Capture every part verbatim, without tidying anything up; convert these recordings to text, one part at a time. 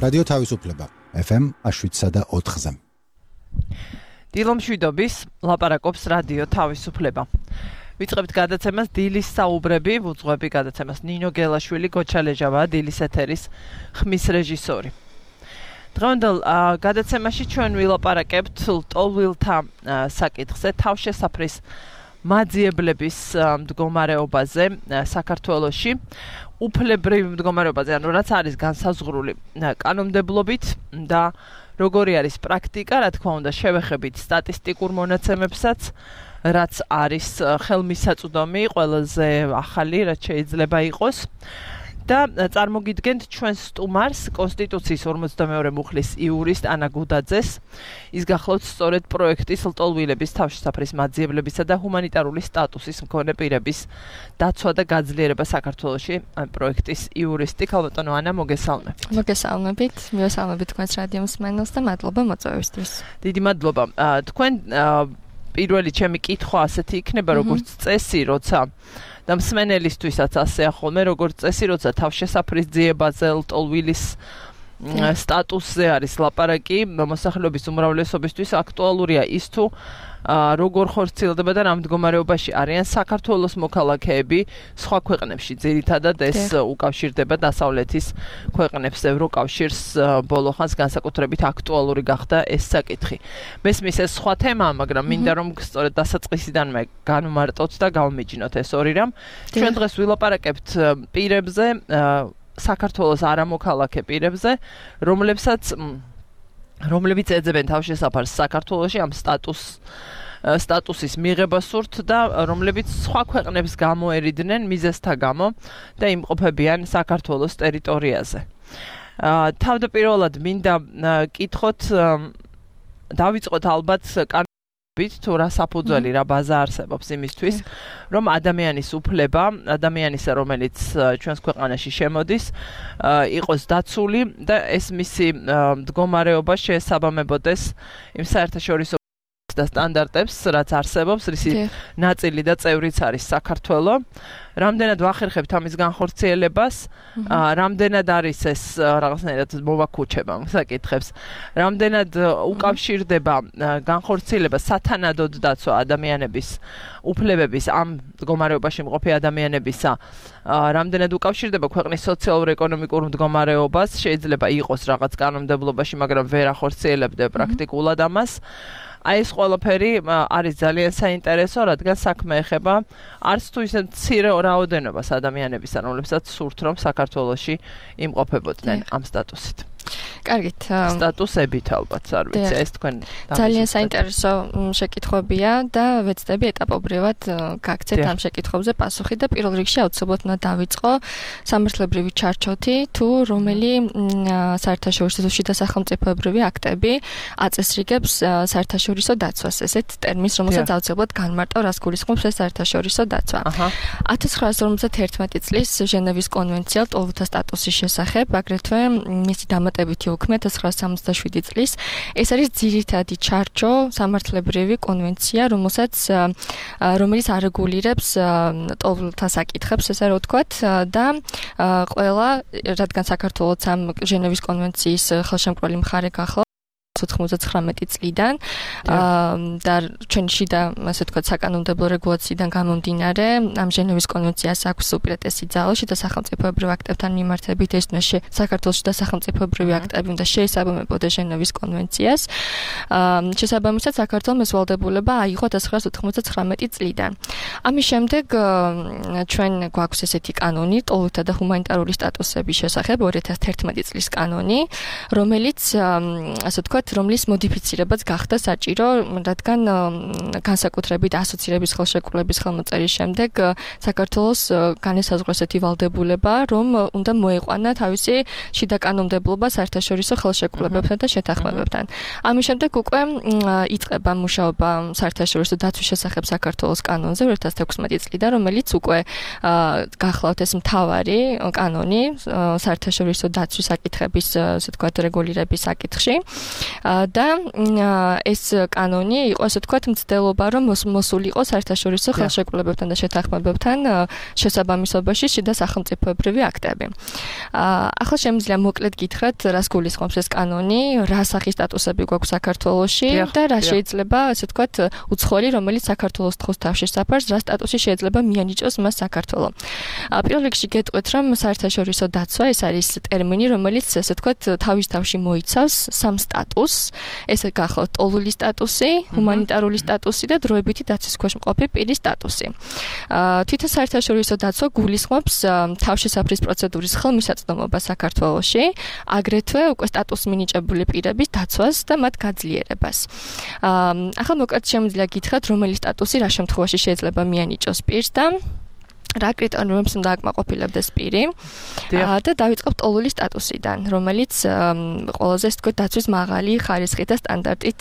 რადიო თავისუფლება ეფ ემ შვიდსა და ოთხზე. დილო მშვიდობის, ლაპარაკობს რადიო თავისუფლება. ვიწყებთ გადაცემას დილის საუბრები, ვუძღვები გადაცემას ნინო გელაშვილი, გოჩა ლეჟავა, დილის ეთერის ხმის რეჟისორი. დღევანდელ გადაცემაში ჩვენ ვილაპარაკებთ ლტოლვილთა საკითხზე, თავშესაფრის მაძიებლების მდგომარეობაზე საქართველოში, უფლებრივ მდგომარეობაზე, ანუ რაც არის განსაზღვრული კანონმდებლობით და როგორი არის პრაქტიკა, რა თქმა უნდა, შევეხებით სტატისტიკურ მონაცემებსაც, რაც არის ხელმისაწვდომი, ყველაზე ახალი, რაც შეიძლება იყოს. და წარმოგიდგენთ ჩვენს სტუმარს, კონსტიტუციის ორმოცდამეორე მუხლის იურისტ ანა გუდაძეს. ის გახლავთ სწორედ პროექტის ლტოლვილების თავშესაფრის მაძიებლებისა და ჰუმანიტარული სტატუსის მქონე პირების დაცვა და გაძლიერება საქართველოში პროექტის იურისტი. ქალბატონო ანა, მოგესალმებით. მოგესალმებით, მიესალმებით თქვენს რადიო მსმენელს და მადლობა მოწვევისთვის. დიდი მადლობა. თქვენ პირველი ჩემი კითხვა ასეთი იქნება, როგორც წესი, როცა და მსმენელისთვისაც ასე ახოლმე, როგორც წესი, როცა თავშესაფრის ძიებაზე ლტოლვილის სტატუსზე არის ლაპარაკი, მოსახლეობის უმრავლესობისთვის აქტუალურია ის თუ როგორ ხორციელდება და რა მდგომარეობაში არიან საქართველოს მოქალაქეები სხვა ქვეყნებში. ძირითადად ეს უკავშირდება დასავლეთის ქვეყნებს, ევროკავშირს, ბოლო ხანს განსაკუთრებით აქტუალური გახდა ეს საკითხი. მესმის ეს სხვა თემაა, მაგრამ მინდა რომ სწორედ დასაწყისიდანვე განვმარტოთ და გავმიჯნოთ ეს ორი რამ. ჩვენ დღეს ვილაპარაკებთ პირებზე, საქართველოს არამოქალაქე პირებზე, რომლებსაც რომლებიც ეძებენ თავშესაფარს საქართველოში ამ სტატუს სტატუსის მიღება სურთ და რომლებიც სხვა ქვეყნებს გამოერიდნენ მიზეზთა გამო და იმყოფებიან საქართველოს ტერიტორიაზე. თავდაპირველად მინდა კითხოთ, დავიწყოთ ალბათ თუ რა საფუძველი, რა ბაზა არსებობს იმისთვის, რომ ადამიანის უფლება, ადამიანისა, რომელიც ჩვენს ქვეყანაში შემოდის, იყოს დაცული და ეს მისი მდგომარეობა შეესაბამებოდეს იმ საერთაშორისო და სტანდარტებს, რაც არსებობს, რისი ნაწილი და წევრიც არის საქართველო. რამდენად ვახერხებთ ამის განხორციელებას, რამდენად არის ეს რაღაცნაირად მოვაქუჩება საკითხებს, რამდენად უკავშირდება განხორციელება სათანადოდ დაცვა ადამიანების უფლებების ამ მდგომარეობაში მყოფი ადამიანებისა, რამდენად უკავშირდება ქვეყნის სოციალურ-ეკონომიკურ მდგომარეობას, შეიძლება იყოს რაღაც კანონმდებლობაში, მაგრამ ვერ ახორციელებდა პრაქტიკულად ამას. აი ეს ყველაფერი არის ძალიან საინტერესო, რადგან საქმე ეხება არც თუ ისე მცირე რაოდენობას ადამიანებისა, რომლებსაც სურთ რომ საქართველოში იმყოფებოდნენ ამ სტატუსით. კარგით, სტატუსებით ალბათ არ ვიცი, ეს თქვენ ძალიან საინტერესო შეკითხვებია და ვეცდები ეტაპობრივად გაგცეთ ამ შეკითხვებზე პასუხი და პირველ რიგში აუცილებლად უნდა დავიწყო სამართლებრივი ჩარჩოთი, თუ რომელი საერთაშორისო შიდა სახელმწიფოებრივი აქტები აწესრიგებს საერთაშორისო დაცვას, ესეთ ტერმინს, რომელსაც აუცილებლად განმარტავ, რას გულისხმობს ეს საერთაშორისო დაცვა. ათას ცხრაას ორმოცდაერთმეტი წლის ჟენევის კონვენცია ლტოლვილთა სტატუსის შესახებ, აგრეთვე მისი დამატებითი უქმე ათას ცხრაას სამოცდაშვიდი წლის, ეს არის ძირითადი ჩარჩო სამართლებრივი კონვენცია, რომელსაც რომელიც არეგულირებს ლტოლვილთა საკითხებს, ესე რომ ვთქვათ, და ყველა, რადგან საქართველოც ამ ჟენევის კონვენციის ხელშემკრალი მხარე გახლა ოცდათხმეტი წლიდან და ჩვენი შიდა, ასე ვთქვათ, საკანონმდებლო რეგულაციიდან გამომდინარე, ამ ჟენევის კონვენციას აქვს უპირატესი ძალა შიდა სახელმწიფოებრივ აქტებთან მიმართებით, ეს უნდა საქართველოს შიდა სახელმწიფოებრივი აქტები უნდა შეესაბამებოდეს ჟენევის კონვენციას. შესაბამისად, საქართველოს ეს ვალდებულება აიღო ათას ცხრაას ოთხმოცდათხრამეტი წლიდან. ამის შემდეგ ჩვენ გვაქვს ესეთი კანონი, ლტოლვილთა და ჰუმანიტარული სტატუსების შესახებ, ორი ათას თერთმეტი წლის კანონი, რომელიც, ასე ვთქვათ, რომლის მოდიფიცირებაც გახდა საჭირო, რადგან განსაკუთრებით ასოცირების ხელშეკრულების ხელმოწერის შემდეგ საქართველოს განესაზღვრა ესეთი ვალდებულება, რომ უნდა მოეყვანა თავისი შიდა კანონმდებლობა საერთაშორისო ხელშეკრულებებთან და შეთანხმებებთან. ამის შემდეგ უკვე იწყება მუშაობა საერთაშორისო დაცვის შესახებ საქართველოს კანონზე ორი ათას თექვსმეტი წლიდან, რომელიც უკვე გახლავთ ეს მთავარი კანონი საერთაშორისო დაცვის საკითხების, ასე ვთქვათ, რეგულირების საკითხში. და ეს კანონი იყო ასე თქვათ მცდელობა რომ მოსულიყო საერთაშორისო ხელშეკრულებებთან და შეთანხმებებთან შესაბამისობაში შიდა სახელმწიფოებრივი აქტები. ახლა შემიძლია მოკლედ გითხრათ რას გულისხმობს ეს კანონი, რა სახის სტატუსები გვაქვს საქართველოში და რა შეიძლება ასე თქვათ უცხოელი რომელიც საქართველოს თხოს თავშესაფარს რა სტატუსი შეიძლება მიანიჭოს მას საქართველო. პირველ რიგში გეტყვით რომ საერთაშორისო დაცვა ეს არის ტერმინი რომელიც ასე თქვათ თავის თავში მოიცავს სამ სტატუსს. ეს გახლავთ ტოლული სტატუსი, ჰუმანიტარული სტატუსი და დროებითი დაცვის ქვეშ მყოფი პირის სტატუსი. თვითონ საერთაშორისო დაცვა გულისხმობს თავშესაფრის პროცედურის ხელმისაწვდომობა საქართველოში, აგრეთვე უკვე სტატუსს მინიჭებული პირების დაცვას და მათ გაძლიერებას. ახლა მოკლედ შემიძლია გითხრათ, რომელი სტატუსი რა შემთხვევაში შეიძლება მიანიჭოს პირს და რა კრიტერიუმებს უნდა აკმაყოფილებდეს პირი და დავიწყებთ ტოლული სტატუსიდან, რომელიც ყველაზე ასე თქვით დაცვის მაღალი ხარისხით და სტანდარტით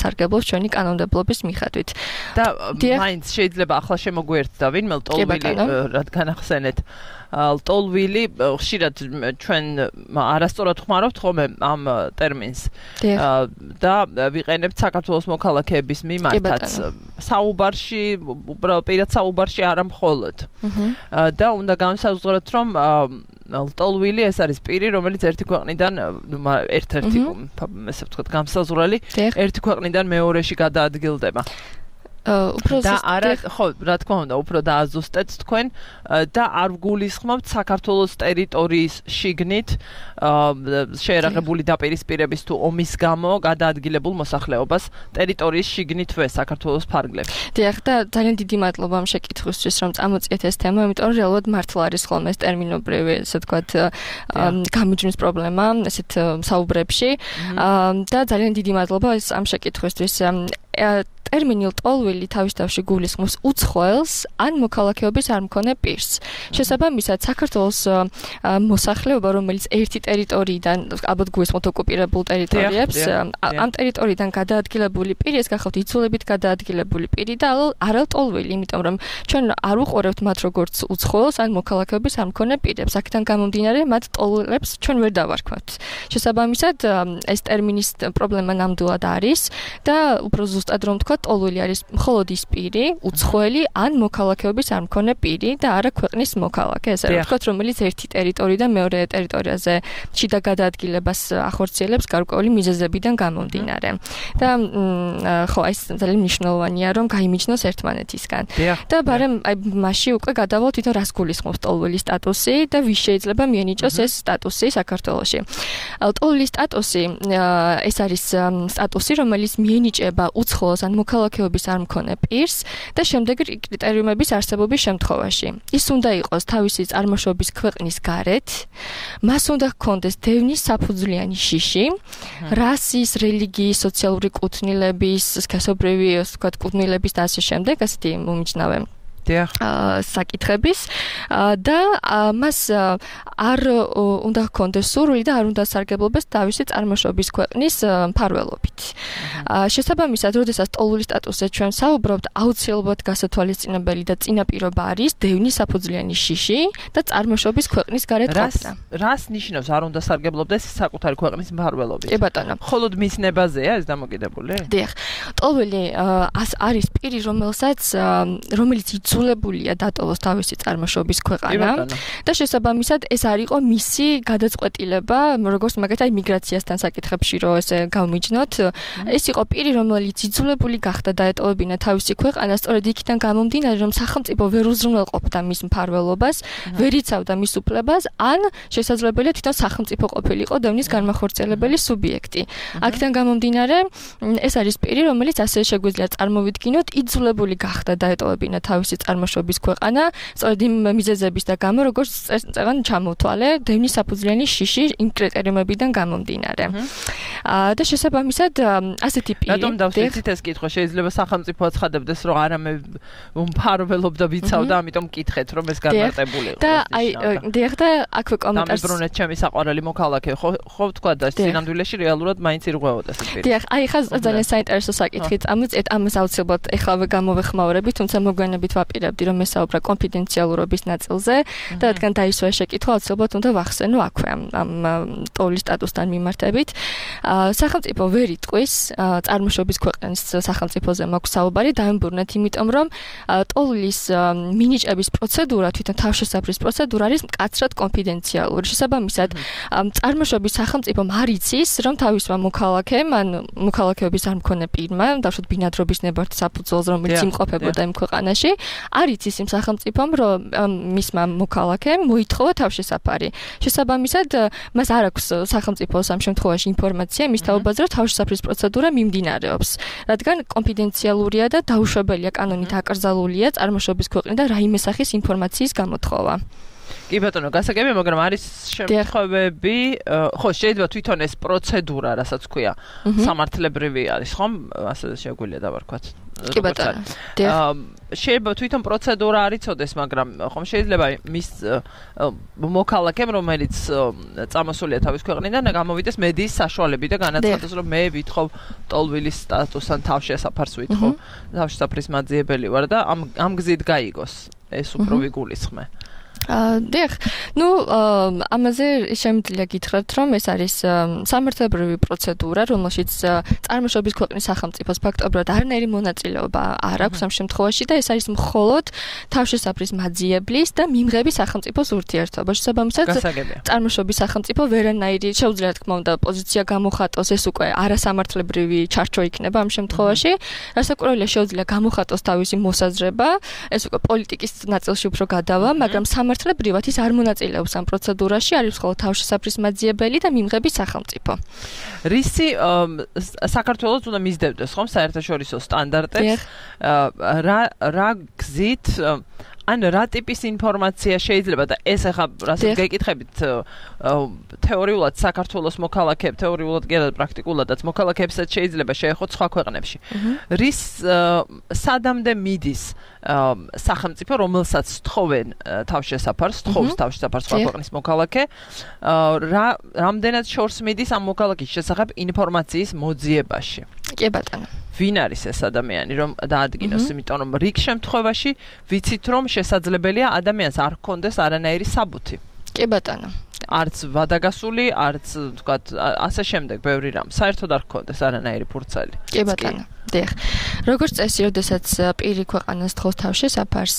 სარგებლობს ჩვენი კანონმდებლობის მიხედვით. და მაინც შეიძლება ახლა შემოგვიერთდა ვინმე ტოლვილი რადგან ახსენეთ ტოლვილი ხშირად ჩვენ არასწორად ხმარობთ ხოლმე ამ ტერმინს და ვიყენებთ საქართველოს მოქალაქეების მიმართაც საუბარში, უბრალოდ პირად საუბარში არა მხოლოდ. და უნდა განსაზღვროთ რომ ტოლვილი ეს არის პირი რომელიც ერთი ქვეყნიდან ერთ-ერთი ესე ვთქვათ გამსაზღვრელი ერთი ქვეყნიდან მეორეში გადაადგილდება. და არა ხო რა თქმა უნდა უფრო დააზუსტეთ თქვენ და არ გულისხმობთ საქართველოს ტერიტორიის შიგნით შეერაღებული დაპირისპირების თუ ომის გამო გადაადგილებულ მოსახლეობას ტერიტორიის შიგნითვე საქართველოს ფარგლებში. დიახ და ძალიან დიდი მადლობა ამ შეკითხვისთვის რომ წამოწიეთ ეს თემა, იმიტომ რომ რეალურად მართლა არის ხოლმე ეს ტერმინობრივი ესე ვთქვათ გამიჯვნის პრობლემა ესეთ საუბრებში და ძალიან დიდი მადლობა ეს ამ შეკითხვისთვის. ტერმინი ტოლვილი თავის თავში გულისხმობს უცხოელს ან მოქალაქეობის არ მქონე პირს. შესაბამისად, საქართველოს მოსახლეობა, რომელიც ერთი ტერიტორიიდან, ალბათ გულისხმობთ ოკუპირებულ ტერიტორიებს, ამ ტერიტორიიდან გადაადგილებული პირი, ეს გახლავთ იძულებით გადაადგილებული პირი და არა ტოლვილი, იმიტომ რომ ჩვენ არ უყურებთ მათ როგორც უცხოელს ან მოქალაქეობის არ მქონე პირებს. აქედან გამომდინარე, მათ ტოლულებს ჩვენ ვერ დავარქვათ. შესაბამისად, ეს ტერმინის პრობლემა ნამდვილად არის და უფრო ზუსტად რომ თქვა ტოლული არის მხოლოდ ის პირი, უცხოელი ან მოქალაქეობის არ მქონე პირი და არა ქვეყნის მოქალაქე, ესე ვთქვათ, რომელიც ერთი ტერიტორიიდან მეორე ტერიტორიაზე შიდა გადაადგილებას ახორციელებს გარკვეული მიზეზებიდან გამომდინარე. და ხო, ეს ძალიან მნიშვნელოვანია, რომ გაიმიჯნოს ერთმანეთისგან. და ბარემ აი მასში უკვე გადავალ თვითონ რას გულისხმობს ტოლული სტატუსი და ვის შეიძლება მიანიჭოს ეს სტატუსი საქართველოში. ტოლული სტატუსი ეს არის სტატუსი, რომელიც მიენიჭება უცხოელს ან მოქალაქეობის არ მქონე პირს და შემდეგი კრიტერიუმების არსებობის შემთხვევაში. ის უნდა იყოს თავისი წარმოშობის ქვეყნის გარეთ, მას უნდა ჰქონდეს დევნის საფუძვლიანი შიში, რასის, რელიგიის, სოციალური კუთვნილების, სქესობრივი, ასე ვთქვათ, კუთვნილების და ასე შემდეგ, ასეთი მომიჯნავე საკითხების და მას არ უნდა ჰქონდეს სურვილი და არ უნდა სარგებლობდეს თავისი წარმოშობის ქვეყნის მფარველობით. შესაბამისად, როდესაც ტოლული სტატუსზე ჩვენ საუბრობთ, აუცილებლად გასათვალისწინებელი და წინაპირობა არის დევნის საფუძვლიანი შიში და წარმოშობის ქვეყნის გარეთ ყოფნა. რას ნიშნავს არ უნდა სარგებლობდეს საკუთარი ქვეყნის მფარველობით? კი ბატონო. მხოლოდ მის ნებაზეა ეს დამოკიდებული? დიახ. ტოლული არის პირი, რომელსაც რომელიც იძულებულია დატოვოს თავისი წარმოშობის ქვეყანა და შესაბამისად ეს არ იყო მისი გადაწყვეტილება, როგორც მაგალითად მიგრაციასთან საკითხებში რო ესე გავმიჯნოთ, ეს იყო პირი, რომელიც იძულებული გახდა დაეტოვებინა თავისი ქვეყანა, სწორედ იქიდან გამომდინარე, რომ სახელმწიფო ვერ უზრუნველყოფდა მის მფარველობას, ვერ იცავდა მის უფლებას, ან შესაძლებელია თვითონ სახელმწიფო ყოფილიყო დევნის განმახორციელებელი სუბიექტი. აქედან გამომდინარე, ეს არის პირი, რომელიც ასე შეგვიძლია წარმოვიდგინოთ, იძულებული გახდა დაეტოვებინა თავისი წარმოშობის ქვეყანა, სწორედ იმ მიზეზების და გამო, როგორც წეგან ჩამოთვალე, დევნის საფუძვლიანი შიში იმ კრიტერიუმებიდან გამომდინარე. და შესაბამისად, ასეთი პირი. რატომ დავსვით ეს კითხვა? შეიძლება სახელმწიფო აცხადებდეს, რომ არა მე მფარველობდა ვიცავდა, ამიტომ მკითხეთ, რომ ეს განმარტებული იყო. და აი, დიახ და აქვე კომენტარს დამებრუნეთ ჩემი საყვარელი მოქალაქე, ხო ხო ვთქვა და სინამდვილეში რეალურად მაინც ირღვეოდა ეს პირი. დიახ, აი ხა ძალიან საინტერესო საკითხი წამოწიეთ, ამას აუცილებლად ეხლავე გამოვეხმაურები, თუმცა მოგვიანებით ვაპირებ ვაპირებდი, რომ ესაუბრა კონფიდენციალურობის ნაწილზე და რადგან დაისვა შეკითხვა, აუცილებლად უნდა ვახსენო აქვე ამ ამ ტოვლის სტატუსთან მიმართებით. სახელმწიფო ვერ იტყვის წარმოშობის ქვეყნის სახელმწიფოზე მაქვს საუბარი, დაემბურნეთ, იმიტომ რომ ტოვლის მინიჭების პროცედურა, თვითონ თავშესაფრის პროცედურა არის მკაცრად კონფიდენციალური. შესაბამისად, წარმოშობის სახელმწიფომ არ იცის, რომ თავისმა მოქალაქემ, ან მოქალაქეობის არ მქონე პირმა, დავშოთ ბინადრობის ნებართვის საფუძველზე, რომელიც იმყოფებოდა იმ ქვეყანაში, არ იცის იმ სახელმწიფომ, რომ მისმა მოქალაქემ მოითხოვა თავშესაფარი. შესაბამისად, მას არ აქვს სახელმწიფოს ამ შემთხვევაში ინფორმაცია მის თაობაზე, რომ თავშესაფრის პროცედურა მიმდინარეობს, რადგან კონფიდენციალურია და დაუშვებელია კანონით აკრძალულია წარმოშობის ქვეყნიდან რაიმე სახის ინფორმაციის გამოთხოვა. კი ბატონო, გასაგებია, მაგრამ არის შემთხვევები, ხო, შეიძლება თვითონ ეს პროცედურა, რასაც ქვია, სამართლებრივი არის, ხომ? ასე შეგვიძლია დავარქვათ. კი ბატონო. შეიძლება თვითონ პროცედურა არ იცოდეს, მაგრამ ხომ შეიძლება მის მოქალაქემ, რომელიც წამოსულია თავის ქვეყნიდან, გამოვიდეს მედიის საშუალებით და განაცხადოს, რომ მე ვითხოვ ტოლვილის სტატუსთან თავშესაფარს ვითხოვ, თავშესაფრის მაძიებელი ვარ და ამ ამ გზით გაიგოს ეს უფრო ვიგულისხმე. დიახ, ну, ამაზე შემიძლია გითხრათ, რომ ეს არის სამართლებრივი პროცედურა, რომელშიც წარმოშობის ქვეყნის სახელმწიფოს ფაქტობრივად არანაირი მონაწილეობა არ აქვს ამ შემთხვევაში და ეს არის მხოლოდ თავშესაფრის მაძიებლის და მიმღების სახელმწიფოს ურთიერთობა. შესაბამისად, წარმოშობის სახელმწიფო ვერანაირი შეუძლია თქმა უნდა პოზიცია გამოხატოს, ეს უკვე არასამართლებრივი ჩარჩო იქნება ამ შემთხვევაში. რასაკვირველია, შეუძლია გამოხატოს თავისი მოსაზრება, ეს უკვე პოლიტიკის ნაწილში უფრო გადავა, მაგრამ სამართლებრივად ის არ მონაწილეობს ამ პროცედურაში, არის მხოლოდ თავშესაფრის მაძიებელი და მიმღების სახელმწიფო. რისი საქართველოს უნდა მისდევდეს, ხომ, საერთაშორისო სტანდარტებს? რა რა გზით ან რა ტიპის ინფორმაცია შეიძლება და ეს ახლა რასაც გეკითხებით თეორიულად საქართველოს მოქალაქეებს, თეორიულად კი არა პრაქტიკულადაც მოქალაქეებსაც შეიძლება შეეხოთ სხვა ქვეყნებში. რის სადამდე მიდის სახელმწიფო, რომელსაც თხოვენ თავშესაფარს, თხოვს თავშესაფარს სხვა ქვეყნის მოქალაქე, რა რამდენად შორს მიდის ამ მოქალაქის შესახებ ინფორმაციის მოძიებაში? კი ბატონო. ვინ არის ეს ადამიანი, რომ დაადგინოს, იმიტომ რომ რიგ შემთხვევაში ვიცით, რომ შესაძლებელია ადამიანს არ ჰქონდეს არანაირი საბუთი. კი ბატონო. არც ვადაგასული, არც თქვათ, ასე შემდეგ, ბევრი რამ. საერთოდ არ ჰქონდეს არანაირი ფურცელი. კი ბატონო. დიახ. როგორც წესი, როდესაც პირი ქვეყანას თხოვს თავშესაფარს,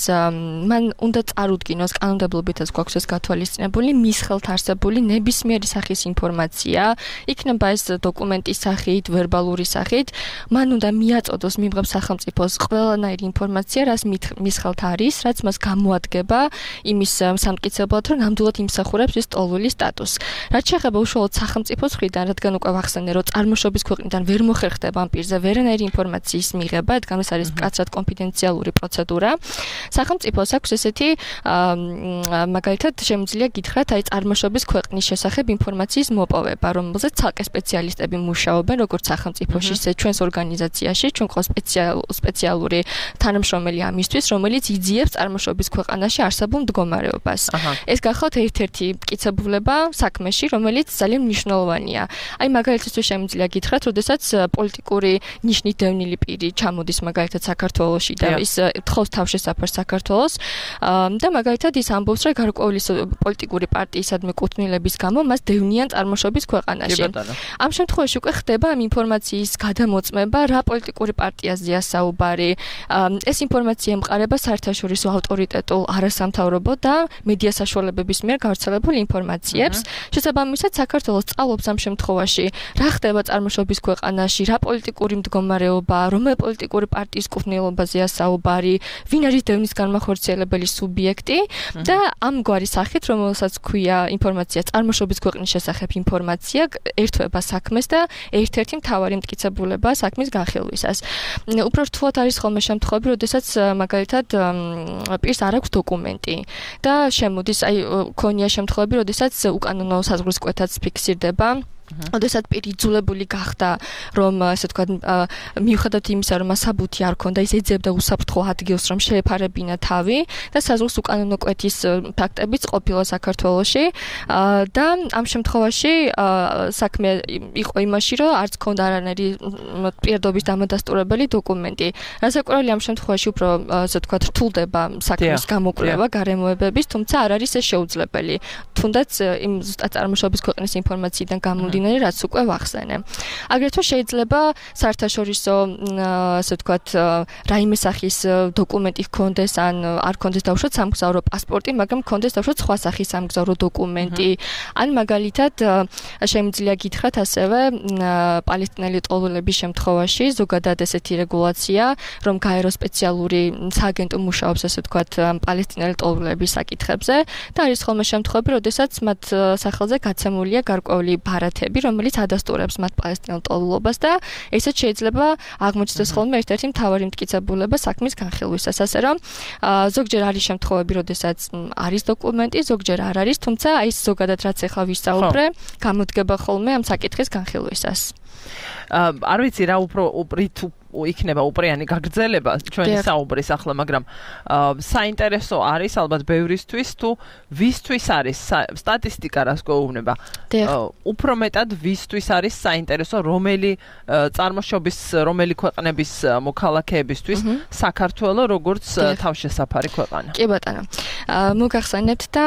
მან უნდა წარუდგინოს კანონმდებლობითაც გვაქვს ეს გათვალისწინებული მის ხელთ არსებული ნებისმიერი სახის ინფორმაცია, იქნება ეს დოკუმენტის სახით, ვერბალური სახით, მან უნდა მიაწოდოს მიმღებ სახელმწიფოს ყველანაირი ინფორმაცია, რაც მის ხელთ არის, რაც მას გამოადგება იმის სამტკიცებლად, რომ ნამდვილად იმსახურებს ის ტოლული სტატუსს. რაც შეეხება უშუალოდ სახელმწიფოს მხრიდან, რადგან უკვე ვახსენე, რომ წარმოშობის ქვეყნიდან ვერ მოხერხდება ამ პირზე ვერანაირი ინფორმაციის მიღება, რადგან ეს არის მკაცრად კონფიდენციალური პროცედურა. სახელმწიფოს აქვს ესეთი მაგალითად შემიძლია გითხრათ, აი წარმოშობის ქვეყნის შესახებ ინფორმაციის მოპოვება, რომელზეც ცალკე სპეციალისტები მუშაობენ, როგორც სახელმწიფოში, ისე ჩვენს ორგანიზაციაში, ჩვენ ყავს სპეციალური თანამშრომელი ამისთვის, რომელიც იძიებს წარმოშობის ქვეყანაში არსებულ მდგომარეობას. ეს გახლავთ ერთ-ერთი მტკიცებულება საქმეში, რომელიც ძალიან მნიშვნელოვანია. აი მაგალითად შემიძლია გითხრათ, როდესაც პოლიტიკური ნიშნით დევნილი პირი ჩამოდის მაგალითად საქართველოში და ის თხოვს თავშესაფარს საქართველოს და მაგალითად ის ამბობს, რომ გარკვეული პოლიტიკური პარტიისადმი კუთვნილების გამო მას დევნიან წარმოშობის ქვეყანაში. ამ შემთხვევაში უკვე ხდება ამ ინფორმაციის გადამოწმება, რა პოლიტიკური პარტიაზეა საუბარი. ეს ინფორმაცია ემყარება საერთაშორისო ავტორიტეტულ არასამთავრობო და მედია საშუალებების მიერ გავრცელებულ ინფორმაციებს. შესაბამისად, საქართველოს სწავლობს ამ შემთხვევაში, რა ხდება წარმოშობის ქვეყანაში, რა პოლიტიკური მდგომარეობა, რომელი პოლიტიკური პარტიის კუთვნილებაზეა საუბარი, ვინ არის დევნის განმახორციელებელი სუბიექტი და ამგვარი სახით, რომელსაც ქვია ინფორმაცია წარმოშობის ქვეყნის შესახებ ინფორმაცია, ერთვება საქმეს და ერთ-ერთი მთავარი მტკიცებულება საქმის განხილვისას. უფრო რთულად არის ხოლმე შემთხვევები, როდესაც მაგალითად პირს არ აქვს დოკუმენტი და შემოდის, აი ქონია შემთხვევები, როდესაც უკანონო საზღვრის კვეთაც ფიქსირდება ოდესაც პირი იძულებული გახდა, რომ ასე ვთქვათ, მიუხედავად იმისა, რომ საბუთი არ ქონდა, ის ეძებდა უსაფრთხო ადგილს, რომ შეეფარებინა თავი და საზღვრის უკანონო კვეთის ფაქტებიც ყოფილა საქართველოში და ამ შემთხვევაში საქმე იყო იმაში, რომ არც ქონდა არანაირი პირადობის დამადასტურებელი დოკუმენტი. რასაკვირველია ამ შემთხვევაში უფრო ასე ვთქვათ, რთულდება საქმის გამოკვლევა გარემოებების, თუმცა არ არის ეს შეუძლებელი. თუნდაც იმ ზუსტად წარმოშობის ქვეყნის ინფორმაციიდან გამომდინარე, რაც უკვე ვახსენე. აგრეთვე შეიძლება საერთაშორისო ასე ვთქვათ, რაიმე სახის დოკუმენტი ჰქონდეს, ან არ ჰქონდეს დავუშვათ სამგზავრო პასპორტი, მაგრამ ჰქონდეს დავუშვათ სხვა სახის სამგზავრო დოკუმენტი. ან მაგალითად შემიძლია გითხრათ ასევე პალესტინელი ტოლულების შემთხვევაში ზოგადად ესეთი რეგულაცია, რომ გაერო სპეციალური სააგენტო მუშაობს ასე ვთქვათ პალესტინელი ტოლულების საკითხებზე და არის ხოლმე შემთხვევები, როდესაც მათ სახელზე გაცემულია გარკვეული ბარათები, რომელიც ადასტურებს მათ პალესტინელ ტოლულობას და ესეც შეიძლება აღმოჩნდეს ხოლმე ერთ-ერთი მთავარი მტკიცებულება საქმის განხილვისას, ასე რომ ზოგჯერ არის შემთხვევები, როდესაც არის დოკუმენტი, ზოგჯერ არ არის, თუმცა აი ეს ზოგადად რაც ახლა ვისაუბრე, გამოდგება ხოლმე ამ საკითხის განხილვისას. არ ვიცი რა უფრო უპრით იქნება უპრიანი გაგრძელება ჩვენი საუბრის ახლა, მაგრამ საინტერესო არის ალბათ ბევრისთვის თუ ვისთვის არის სტატისტიკა რას გვეუბნება. უფრო მეტად ვისთვის არის საინტერესო რომელი წარმოშობის რომელი ქვეყნების მოქალაქეებისთვის საქართველო როგორც თავშესაფარი ქვეყანა. კი ბატონო. მოგახსენებთ და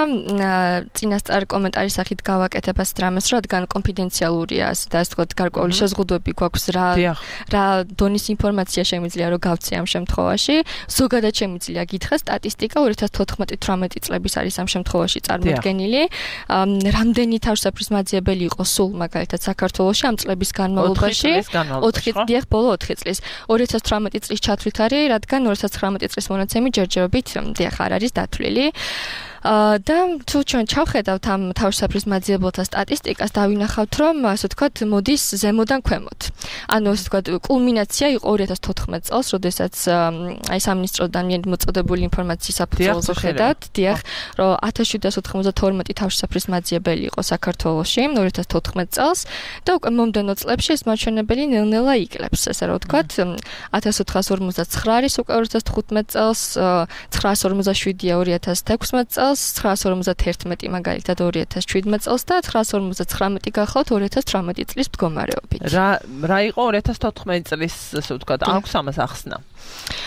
წინასწარ კომენტარის სახით გავაკეთებ ასეთ რამეს, რადგან კონფიდენციალურია და ასე ვთქვათ გარკვეული შეზღუდვები გვაქვს რა რა დონის ინფორმაცია შემიძლია რომ გავცე ამ შემთხვევაში. ზოგადად შემიძლია გითხრა სტატისტიკა ორი ათას თოთხმეტი თვრამეტი წლების არის ამ შემთხვევაში წარმოდგენილი. რამდენი თავშესაფრის მაძიებელი იყო სულ მაგალითად საქართველოში ამ წლების განმავლობაში? ოთხი დიახ, ბოლო ოთხი წლის. ორი ათას თვრამეტი წლის ჩათვლით არის, რადგან ორი ათას ცხრამეტი წლის მონაცემი ჯერჯერობით დიახ არ არის დათვლილი. და თუ ჩვენ ჩავხედავთ ამ თავშესაფრის მაძიებელთა სტატისტიკას, დავინახავთ, რომ ასე ვთქვათ, მოდის ზემოდან ქვემოთ. ანუ ასე ვთქვათ, კულმინაცია იყო ორი ათას თოთხმეტ წელს, როდესაც აი სამინისტროდან მოწოდებული ინფორმაციის საფუძველზე ხედავთ, დიახ, რომ ათას შვიდსათ ოთხმოცდათორმეტი თავშესაფრის მაძიებელი იყო საქართველოში ორი ათას თოთხმეტ წელს და უკვე მომდევნო წლებში ეს მაჩვენებელი ნელ-ნელა იკლებს, ესე რომ ვთქვათ, ათას ოთხას ორმოცდაცხრა არის უკვე ორი ათას თხუთმეტ წელს, ცხრაას ორმოცდაშვიდია ორი ათას თექვსმეტ წელს, ცხრაას ორმოცდაერთმეტი მაგალითად ორი ათას შვიდმეტ წელს და ცხრაას ორმოცდაცხრამეტი გახლავთ ორი ათას თვრამეტი წლის მდგომარეობით. რა რა იყო ორი ათას თოთხმეტი წლის, ასე ვთქვათ, აქვს ამას ახსნა.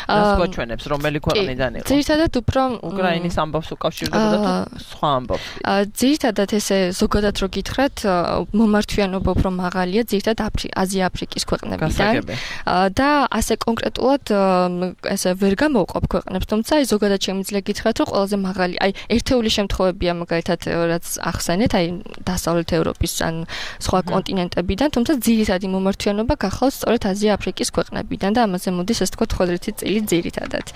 რას გვაჩვენებს, რომელი ქვეყნიდან იყო? ძირითადად უფრო უკრაინის ამბავს უკავშირდებოდა თუ სხვა ამბავს? ძირითადად ესე ზოგადად რო გითხრათ, მომართვიანობა უფრო მაღალია ძირითადად აზია-აფრიკის ქვეყნებიდან და ასე კონკრეტულად ესე ვერ გამოვყოფ ქვეყნებს, თუმცა აი ზოგადად შემიძლია გითხრათ, რომ ყველაზე მაღალი, აი ერთეული შემთხვევებია მაგალითად რაც ახსენეთ, აი დასავლეთ ევროპის ან სხვა კონტინენტებიდან, თუმცა ძირითადი მომართვიანობა გახლავს სწორედ აზია-აფრიკის ქვეყნებიდან და ამაზე მოდის ასე ვთქვათ ხუთი წელი ძირითადად.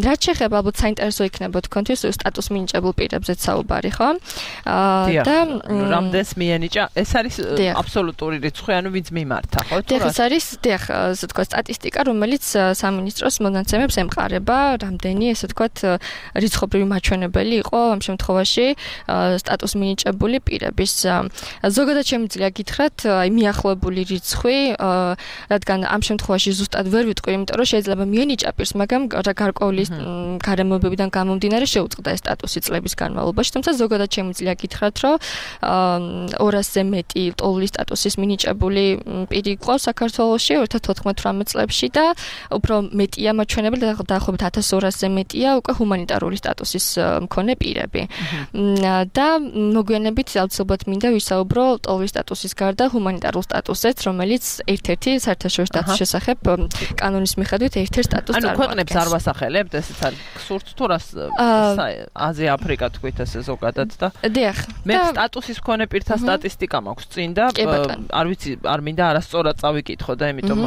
რაც შეეხება ალბათ საინტერესო იქნება თქვენთვის სტატუს მინიჭებულ პირებზეც საუბარი, ხო? და რამდენს მიენიჭა? ეს არის აბსოლუტური რიცხვი, ანუ ვინც მიმართა, ხო? დიახ, ეს არის, დიახ, ასე ვთქვათ სტატისტიკა, რომელიც სამინისტროს მონაცემებს ემყარება, რამდენი ასე ვთქვათ რიცხობრივი მაჩვენებელი იყო ამ შემთხვევაში სტატუს მინიჭებული პირების. ზოგადად შემიძლია გითხრათ, აი მიახლოებული რიცხვი, რადგან ამ შემთხვევაში ზუსტად ვერ ვიტყვი, იმიტომ რომ შეიძლება მიენიჭა პირს, მაგრამ გარკვეული გარემოებებიდან გამომდინარე შეუწყდა ეს სტატუსი წლების განმავლობაში, თუმცა ზოგადად შემიძლია გითხრათ, რომ ორასზე მეტი ტოლული სტატუსის მინიჭებული პირი იყო საქართველოში ორი ათას თოთხმეტ წლებში და უფრო მეტია მაჩვენებელი, დაახლოებით ათას ორასზე მეტია უკვე ჰუმანიტარული სტატუსის მქონე პირები. და მოგვიანებით აუცილებლად მინდა ვისაუბრო ტოლული სტატუსის გარდა ჰუმანიტარულ სტატუსზეც, რომელიც ერთ-ერთი საერთაშორისო სტატუსის შესახებ კანონის მიხედვით ერთ-ერთ სტატუსს წარმოადგენს. ანუ ქვეყნებს არ ვასახელებთ, ესეც არის გსურთ თუ რას აზია აფრიკა თქვით ესე ზოგადად და დიახ. მე სტატუსის მქონე პირთა სტატისტიკა მაქვს წინ და არ ვიცი, არ მინდა არასწორად წავიკითხო და იმიტომ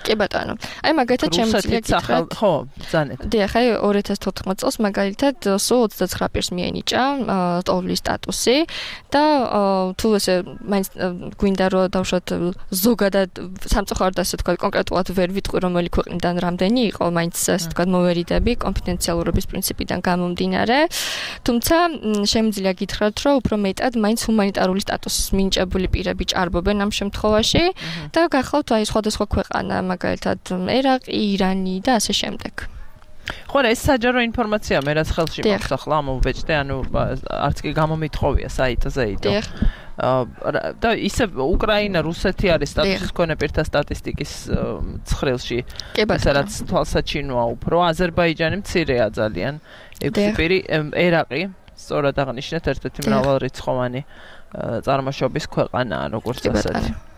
კი ბატონო. აი მაგალითად შემიძლია გითხრათ, ხო, ბრძანეთ. დიახ, აი ორი ათას თოთხმეტ წელს მაგალითად სულ ოცდაცხრა პირს მიენიჭა ტოვლის სტატუსი და თუ ესე მაინც გვინდა რომ დავუშვათ ზოგადად სამწუხაროდ ასე თქვა კონკრეტულად ვერ ვიტყვი რომელი ქვეყნიდან რამდენი იყო მაინც ასე თქვა მოვერიდები კონფიდენციალურობის პრინციპიდან გამომდინარე თუმცა შემიძლია გითხრათ რომ უფრო მეტად მაინც ჰუმანიტარული სტატუსის მინიჭებული პირები ჭარბობენ ამ შემთხვევაში და გახლავთ აი სხვადასხვა ქვეყანა მაგალითად ერაყი, ირანი და ასე შემდეგ. ხო, ეს საჯარო ინფორმაცია მე რაც ხელში მაქვს ახლა მომბეჭდე, ანუ არც კი გამომითხოვია საიტზე იდო. და ისე უკრაინა, რუსეთი არის სტატუსის მქონე პირთა სტატისტიკის ცხრილში. ეს რაც თვალსაჩინოა უფრო, აზერბაიჯანი მცირეა ძალიან. ექვსი პირი, ერაყი, სწორად აღნიშნეთ, ერთ-ერთი მრავალრიცხოვანი წარმოშობის ქვეყანაა, როგორც ასეთი.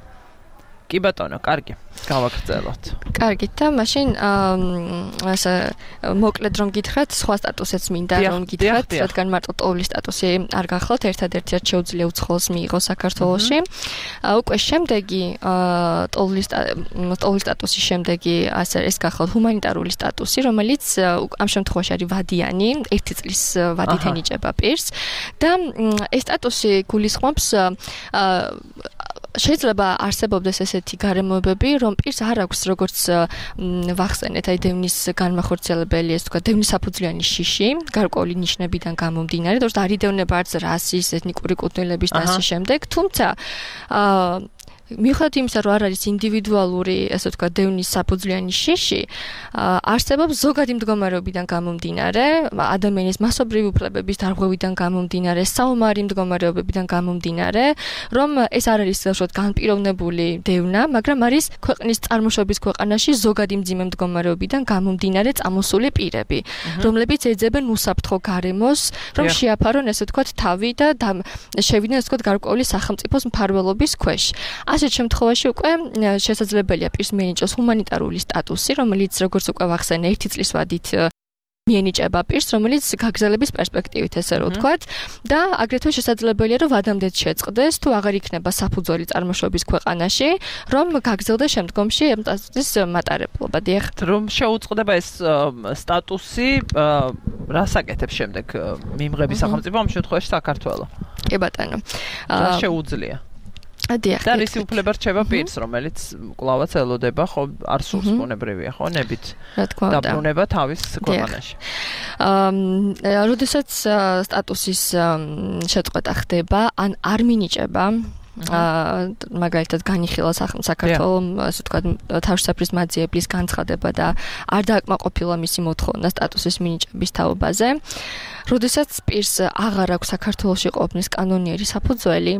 კი ბატონო, კარგი. გავაგრძელოთ. კარგი და მაშინ ასე მოკლედ რომ გითხრათ, სხვა სტატუსებს მინდა რომ გითხრათ, რადგან მარტო ტოვლის სტატუსი არ გახლავთ, ერთადერთი რაც შეუძლია უცხოელს მიიღოს საქართველოში. უკვე შემდეგი ტოვლის ტოვლის სტატუსის შემდეგი ასე ეს გახლავთ ჰუმანიტარული სტატუსი, რომელიც ამ შემთხვევაში არის ვადიანი, ერთი წლის ვადით ენიჭება პირს და ეს სტატუსი გულისხმობს შეიძლება არსებობდეს ესეთი გარემოებები, რომ პირს არ აქვს როგორც ვახსენეთ, აი დევნის განმახორციელებელი, ეს თქვა დევნის საფუძვლიანი შიში, გარკვეული ნიშნებიდან გამომდინარე, თორსა არ იდევნება არც რასის, ეთნიკური კუთვნილების და ასე შემდეგ, თუმცა აა მიუხედავად იმისა, რომ არ არის ინდივიდუალური, ასე ვთქვა, დევნის საფუძვლიანი შიში, არსებობს ზოგადი მდგომარეობიდან გამომდინარე, ადამიანის მასობრივი უფლებების დარღვევიდან გამომდინარე, საომარი მდგომარეობებიდან გამომდინარე, რომ ეს არ არის უშუალოდ განპირობებული დევნა, მაგრამ არის ქვეყნის წარმოშობის ქვეყანაში ზოგადი მძიმე მდგომარეობიდან გამომდინარე წამოსული პირები, რომლებიც ეძებენ უსაფრთხო გარემოს, რომ შეაფარონ, ასე ვთქვა, თავი და შევიდნენ, ასე ვთქვა, გარკვეული სახელმწიფოს მფარველობის ქვეშ. ასეთ შემთხვევაში უკვე შესაძლებელია პირს მიენიჭოს ჰუმანიტარული სტატუსი, რომელიც როგორც უკვე ვახსენე, ერთი წლის ვადით მიენიჭება პირს, რომელიც გაგრძელების პერსპექტივით ესე რომ ვთქვათ, და აგრეთვე შესაძლებელია, რომ ვადამდეც შეწყდეს, თუ აღარ იქნება საფუძველი წარმოშობის ქვეყანაში, რომ გაგრძელდეს შემდგომში ამ სტატუსის მატარებლობა. დიახ. რომ შეუწყდება ეს სტატუსი, რას აკეთებს შემდეგ მიმღები სახელმწიფო, ამ შემთხვევაში საქართველო. კი ბატონო. რა შეუძლია? დიახ. და რის უფლება რჩება პირს, რომელიც კლავაც ელოდება, ხო, არ სურს ბუნებრივია, ხო, ნებით. რა თქმა უნდა. დაბრუნება თავის ქვეყანაში. აა, როდესაც სტატუსის შეწყვეტა ხდება, ან არ მინიჭება, აა მაგალითად განიხილა საქართველოს, ასე ვთქვათ, თავშესაფრის მაძიებლის განცხადება და არ დააკმაყოფილა მისი მოთხოვნა სტატუსის მინიჭების თაობაზე. როდესაც პირს აღარ აქვს საქართველოში ყოფნის კანონიერი საფუძველი,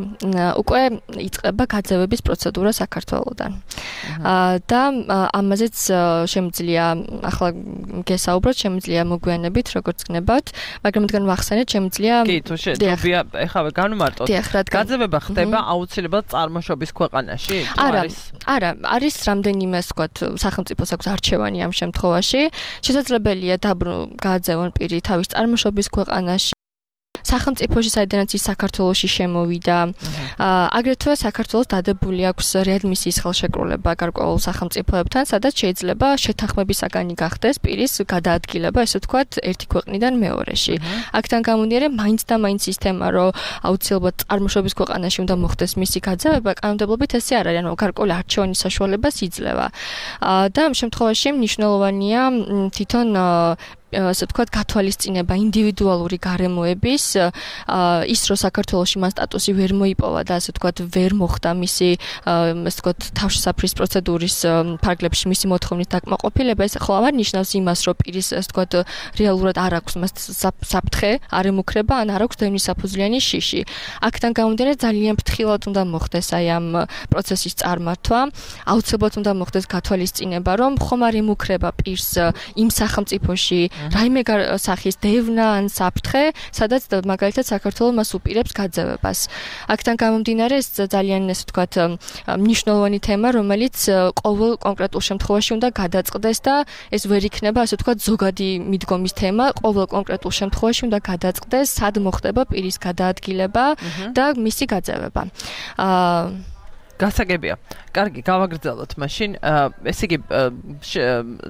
უკვე იწყება გაძევების პროცედურა საქართველოდან. და ამაზეც შემიძლია ახლა გესაუბროთ, შემიძლია მოგვიანებით, როგორც გნებავთ, მაგრამ მდგან ვახსენეთ, შემიძლია კი, თუ შეიძლება ეხავე განვმარტოთ. გაძევება ხდება აუცილებლად წარმოშობის ქვეყანაში? არა, არა, არის რამდენიმე, ასე ვთქვათ, სახელმწიფოს აქვს არჩევანი ამ შემთხვევაში. შესაძლებელია გააძევონ პირი თავის წარმოშობის ქვეყანაში, სახელმწიფოში, საიდანაც ის საქართველოში შემოვიდა. აგრეთვე საქართველოს დადებული აქვს რეადმისიის ხელშეკრულება გარკვეულ სახელმწიფოებთან, სადაც შეიძლება შეთანხმების საგანი გახდეს პირის გადაადგილება, ესე ვთქვათ, ერთი ქვეყნიდან მეორეში. აქთან გამომდინარე, მაინც და მაინც სისტემა, რომ აუცილებლად წარმოშობის ქვეყანაში უნდა მოხდეს მისი გაძევება, კანონმდებლობით ესე არ არის, ანუ გარკვეული არჩევანის საშუალებას იძლევა. და ამ შემთხვევაში მნიშვნელოვანია თვითონ ასე ვთქვათ, გათვალისწინება ინდივიდუალური გარემოების, ის რომ საქართველოში მან სტატუსი ვერ მოიპოვა და ასე ვთქვათ, ვერ მოხდა მისი, ასე ვთქვათ, თავშესაფრის პროცედურის ფარგლებში მისი მოთხოვნის დაკმაყოფილება, ეს ხო არ ნიშნავს იმას, რომ პირის, ასე ვთქვათ, რეალურად არ აქვს მას საფრთხე, არ ემუქრება, ან არ აქვს დევნის საფუძვლიანი შიში. აქთან გამომდინარე, ძალიან ფრთხილად უნდა მოხდეს აი ამ პროცესის წარმართვა, აუცილებლად უნდა მოხდეს გათვალისწინება, რომ ხომ არ ემუქრება პირს იმ სახელმწიფოში რაიმე სახის დევნა ან საფრთხე, სადაც მაგალითად საქართველოს მას უპირებს გაძევებას. აქთან გამომდინარე, ეს ძალიან, ესე ვთქვათ, მნიშვნელოვანი თემა, რომელიც ყოველ კონკრეტულ შემთხვევაში უნდა გადაწყდეს და ეს ვერ იქნება, ასე ვთქვათ, ზოგადი მიდგომის თემა, ყოველ კონკრეტულ შემთხვევაში უნდა გადაწყდეს, სად მოხდება პირის გადაადგილება და მისი გაძევება. აა გასაგებია. კარგი, გავაგრძელოთ მაშინ. ესე იგი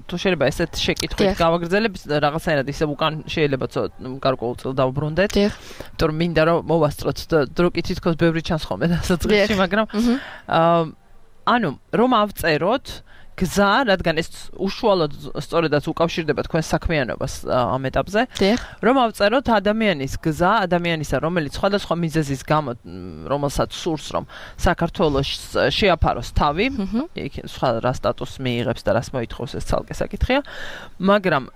თუ შეიძლება ესეთ შეკითხვით გავაგრძელებ, რაღაცაერად ისე უკან შეიძლება გარკვეულწილად დავბრუნდეთ. იმიტომ რომ მინდა რომ მოვასწროთ დროკი თითქოს ბევრი ჩანს ხოლმე დასაწყისში, მაგრამ ანუ რომ ავწეროთ გზა, რადგან ეს უშუალოდ სწორედაც უკავშირდება თქვენს საქმიანობას ამ ეტაპზე, რომ ავწეროთ ადამიანის გზა, ადამიანისა, რომელიც სხვადასხვა მიზეზის გამო, რომელსაც სურს, რომ საქართველოს შეაფაროს თავი, იქ სხვა რა სტატუსს მიიღებს და რას მოითხოვს, ეს ცალკე საკითხია, მაგრამ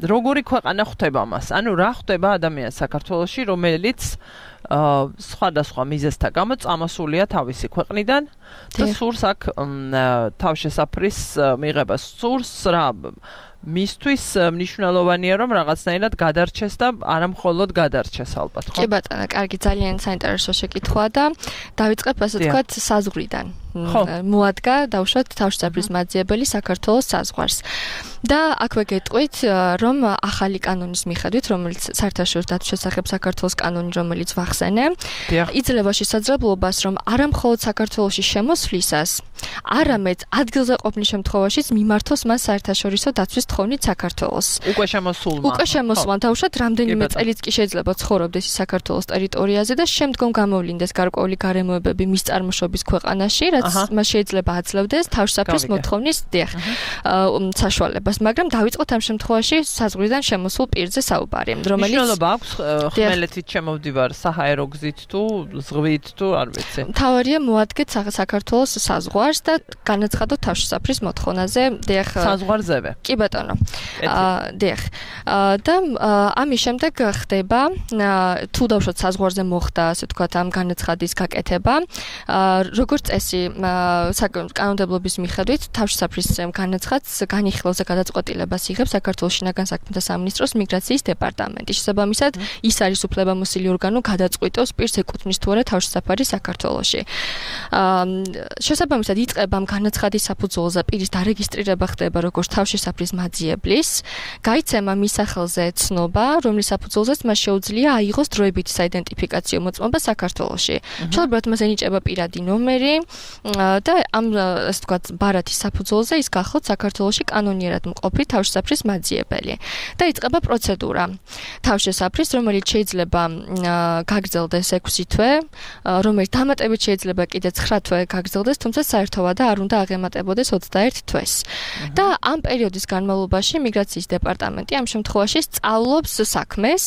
როგორი ქვეყანა ხვდება მას? ანუ რა ხვდება ადამიანს საქართველოში, რომელიც სხვადასხვა მიზეზთა გამო წამოსულია თავისი ქვეყნიდან და სურს აქ თავშესაფრის მიღებას სურს რა მისთვის მნიშვნელოვანია რომ რაღაცნაირად გადარჩეს და არა მხოლოდ გადარჩეს ალბათ ხო? კი ბატონო, კარგი, ძალიან საინტერესო შეკითხვაა და დავიწყებ ასე ვთქვათ საზღვრიდან. მოადგა დავუშვათ თავშესაფრის მაძიებელი საქართველოს საზღვარს. და აქვე გეტყვით, რომ ახალი კანონის მიხედვით, რომელიც საერთაშორისო დათვის შესახებ საქართველოს კანონი, რომელიც ვახსენე, იძლევა შესაძლებლობას, რომ არა მხოლოდ საქართველოში შემოსვლისას, არამედ ადგილზე ყოფნის შემთხვევაშიც მიმართოს მას საერთაშორისო დათვის თხოვნით საქართველოს. უკვე შემოსულმა. უკვე შემოსულმა, დავუშვათ რამდენიმე წელიც კი შეიძლება ცხოვრობდეს საქართველოს ტერიტორიაზე და შემდგომ გამოვლინდეს გარკვეული გარემოებები მის წარმოშობის ქვეყანაში, რაც მას შეიძლება აძლევდეს თავშესაფრის მოთხოვნის საშუალებას. მაგრამ დავიწყოთ ამ შემთხვევაში საზღვრიდან შემოსულ პირზე საუბარი, რომელიც მნიშვნელობა აქვს ხმელეთით შემოვდივარ საჰაერო გზით თუ ზღვით თუ არ ვიცი. მთავარია მოადგეთ საქართველოს საზღვარს და განაცხადოთ თავშესაფრის მოთხოვნაზე, დიახ. საზღვარზევე. კი ბატონო. დიახ. და ამის შემდეგ ხდება თუ დავუშვათ საზღვარზე მოხდა, ასე ვთქვათ, ამ განაცხადის გაკეთება, როგორც წესი კანონმდებლობის მიხედვით თავშესაფრის განაცხადს განიხილავს და გადაწყვეტილებას იღებს საქართველოს შინაგან საქმეთა სამინისტროს მიგრაციის დეპარტამენტი. შესაბამისად, ის არის უფლებამოსილი ორგანო გადაწყვიტოს პირს ეკუთვნის თუ არა თავშესაფარი საქართველოში. შესაბამისად, იწყება ამ განაცხადის საფუძველზე პირის დარეგისტრირება ხდება როგორც თავშესაფრის მაძიებლის, გაიცემა მის სახელზე ცნობა, რომლის საფუძველზეც მას შეუძლია აიღოს დროებითი საიდენტიფიკაციო მოწმობა საქართველოში. შესაბამისად, მას ენიჭება პირადი ნომერი და ამ ასე ვთქვათ ბარათის საფუძველზე ის გახლავთ საქართველოში კანონიერად მყოფი თავშესაფრის მაძიებელი. და იწყება პროცედურა თავშესაფრის, რომელიც შეიძლება გაგრძელდეს ექვსი თვე, რომელიც დამატებით შეიძლება კიდე ცხრა თვე გაგრძელდეს, თუმცა საერთოდ არ უნდა აღემატებოდეს ოცდაერთ თვეს. და ამ პერიოდის განმავლობაში მიგრაციის დეპარტამენტი ამ შემთხვევაში სწავლობს საქმეს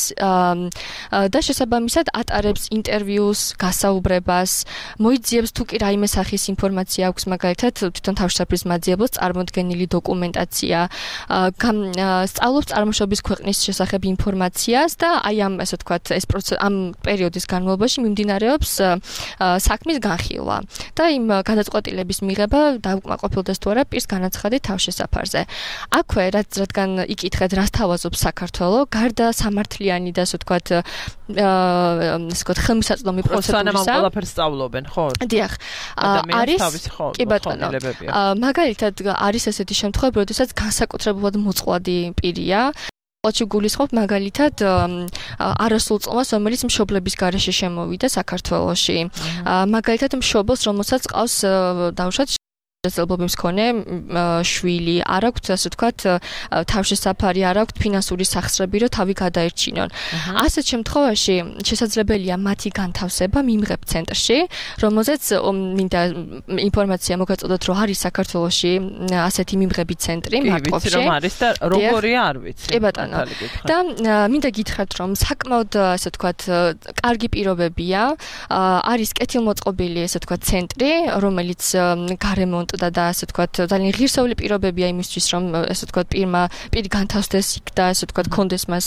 და შესაბამისად ატარებს ინტერვიუს, გასაუბრებას, მოიძიებს თუ კი რაიმე სახის ინფორმაცია აქვს, მაგალითად თვითონ თავშესაფრის მაძიებელს წარმოდგენილი დოკუმენტაცია, სწავლობს წარმოშობის ქვეყნის შესახებ ინფორმაციას და აი ამ ასე ვთქვათ ეს ამ პერიოდის განმავლობაში მიმდინარეობს საქმის განხილვა და იმ გადაწყვეტილების მიღება დაუკმაყოფილდეს თუ არა პირს განაცხადი თავშესაფარზე. აქვე რაც რადგან იკითხეთ რას თავაზობს საქართველო, გარდა სამართლიანი და ასე ვთქვათ ასე ვთქვათ ხელმისაწვდომი პროცედურისა. სანამ ამ ყველაფერს სწავლობენ, ხო? დიახ. არის კი ბატონო. მაგალითად არის ესეთი შემთხვევები, როდესაც განსაკუთრებულად მოწყვლადი პირია. ოჩი გულისხმობ მაგალითად არასრულ წლს, რომელიც მშობლების გარეშე შემოვიდა საქართველოში. მაგალითად მშობელს, რომელსაც ყავს დავუშვათ შესაძლებლობის მქონე შვილი, არ აქვთ ასე ვთქვათ თავშესაფარი, არ აქვთ ფინანსური სახსრები, რომ თავი გადაერჩინონ. ასეთ შემთხვევაში შესაძლებელია მათი განთავსება მიმღებ ცენტრში, რომელზეც მინდა ინფორმაცია მოგაწოდოთ, რომ არის საქართველოში ასეთი მიმღები ცენტრი მარკოვში. კი, ვიცი რომ არის და როგორია არ ვიცი. კი ბატონო. და მინდა გითხრათ, რომ საკმაოდ ასე ვთქვათ კარგი პირობებია, არის კეთილმოწყობილი ასე ვთქვათ ცენტრი, რომელიც გარემონტ და და ასე ვთქვათ ძალიან ღირსეული პირობებია იმისთვის რომ ასე ვთქვათ პირმა პირი განთავსდეს იქ და ასე ვთქვათ კონდეს მას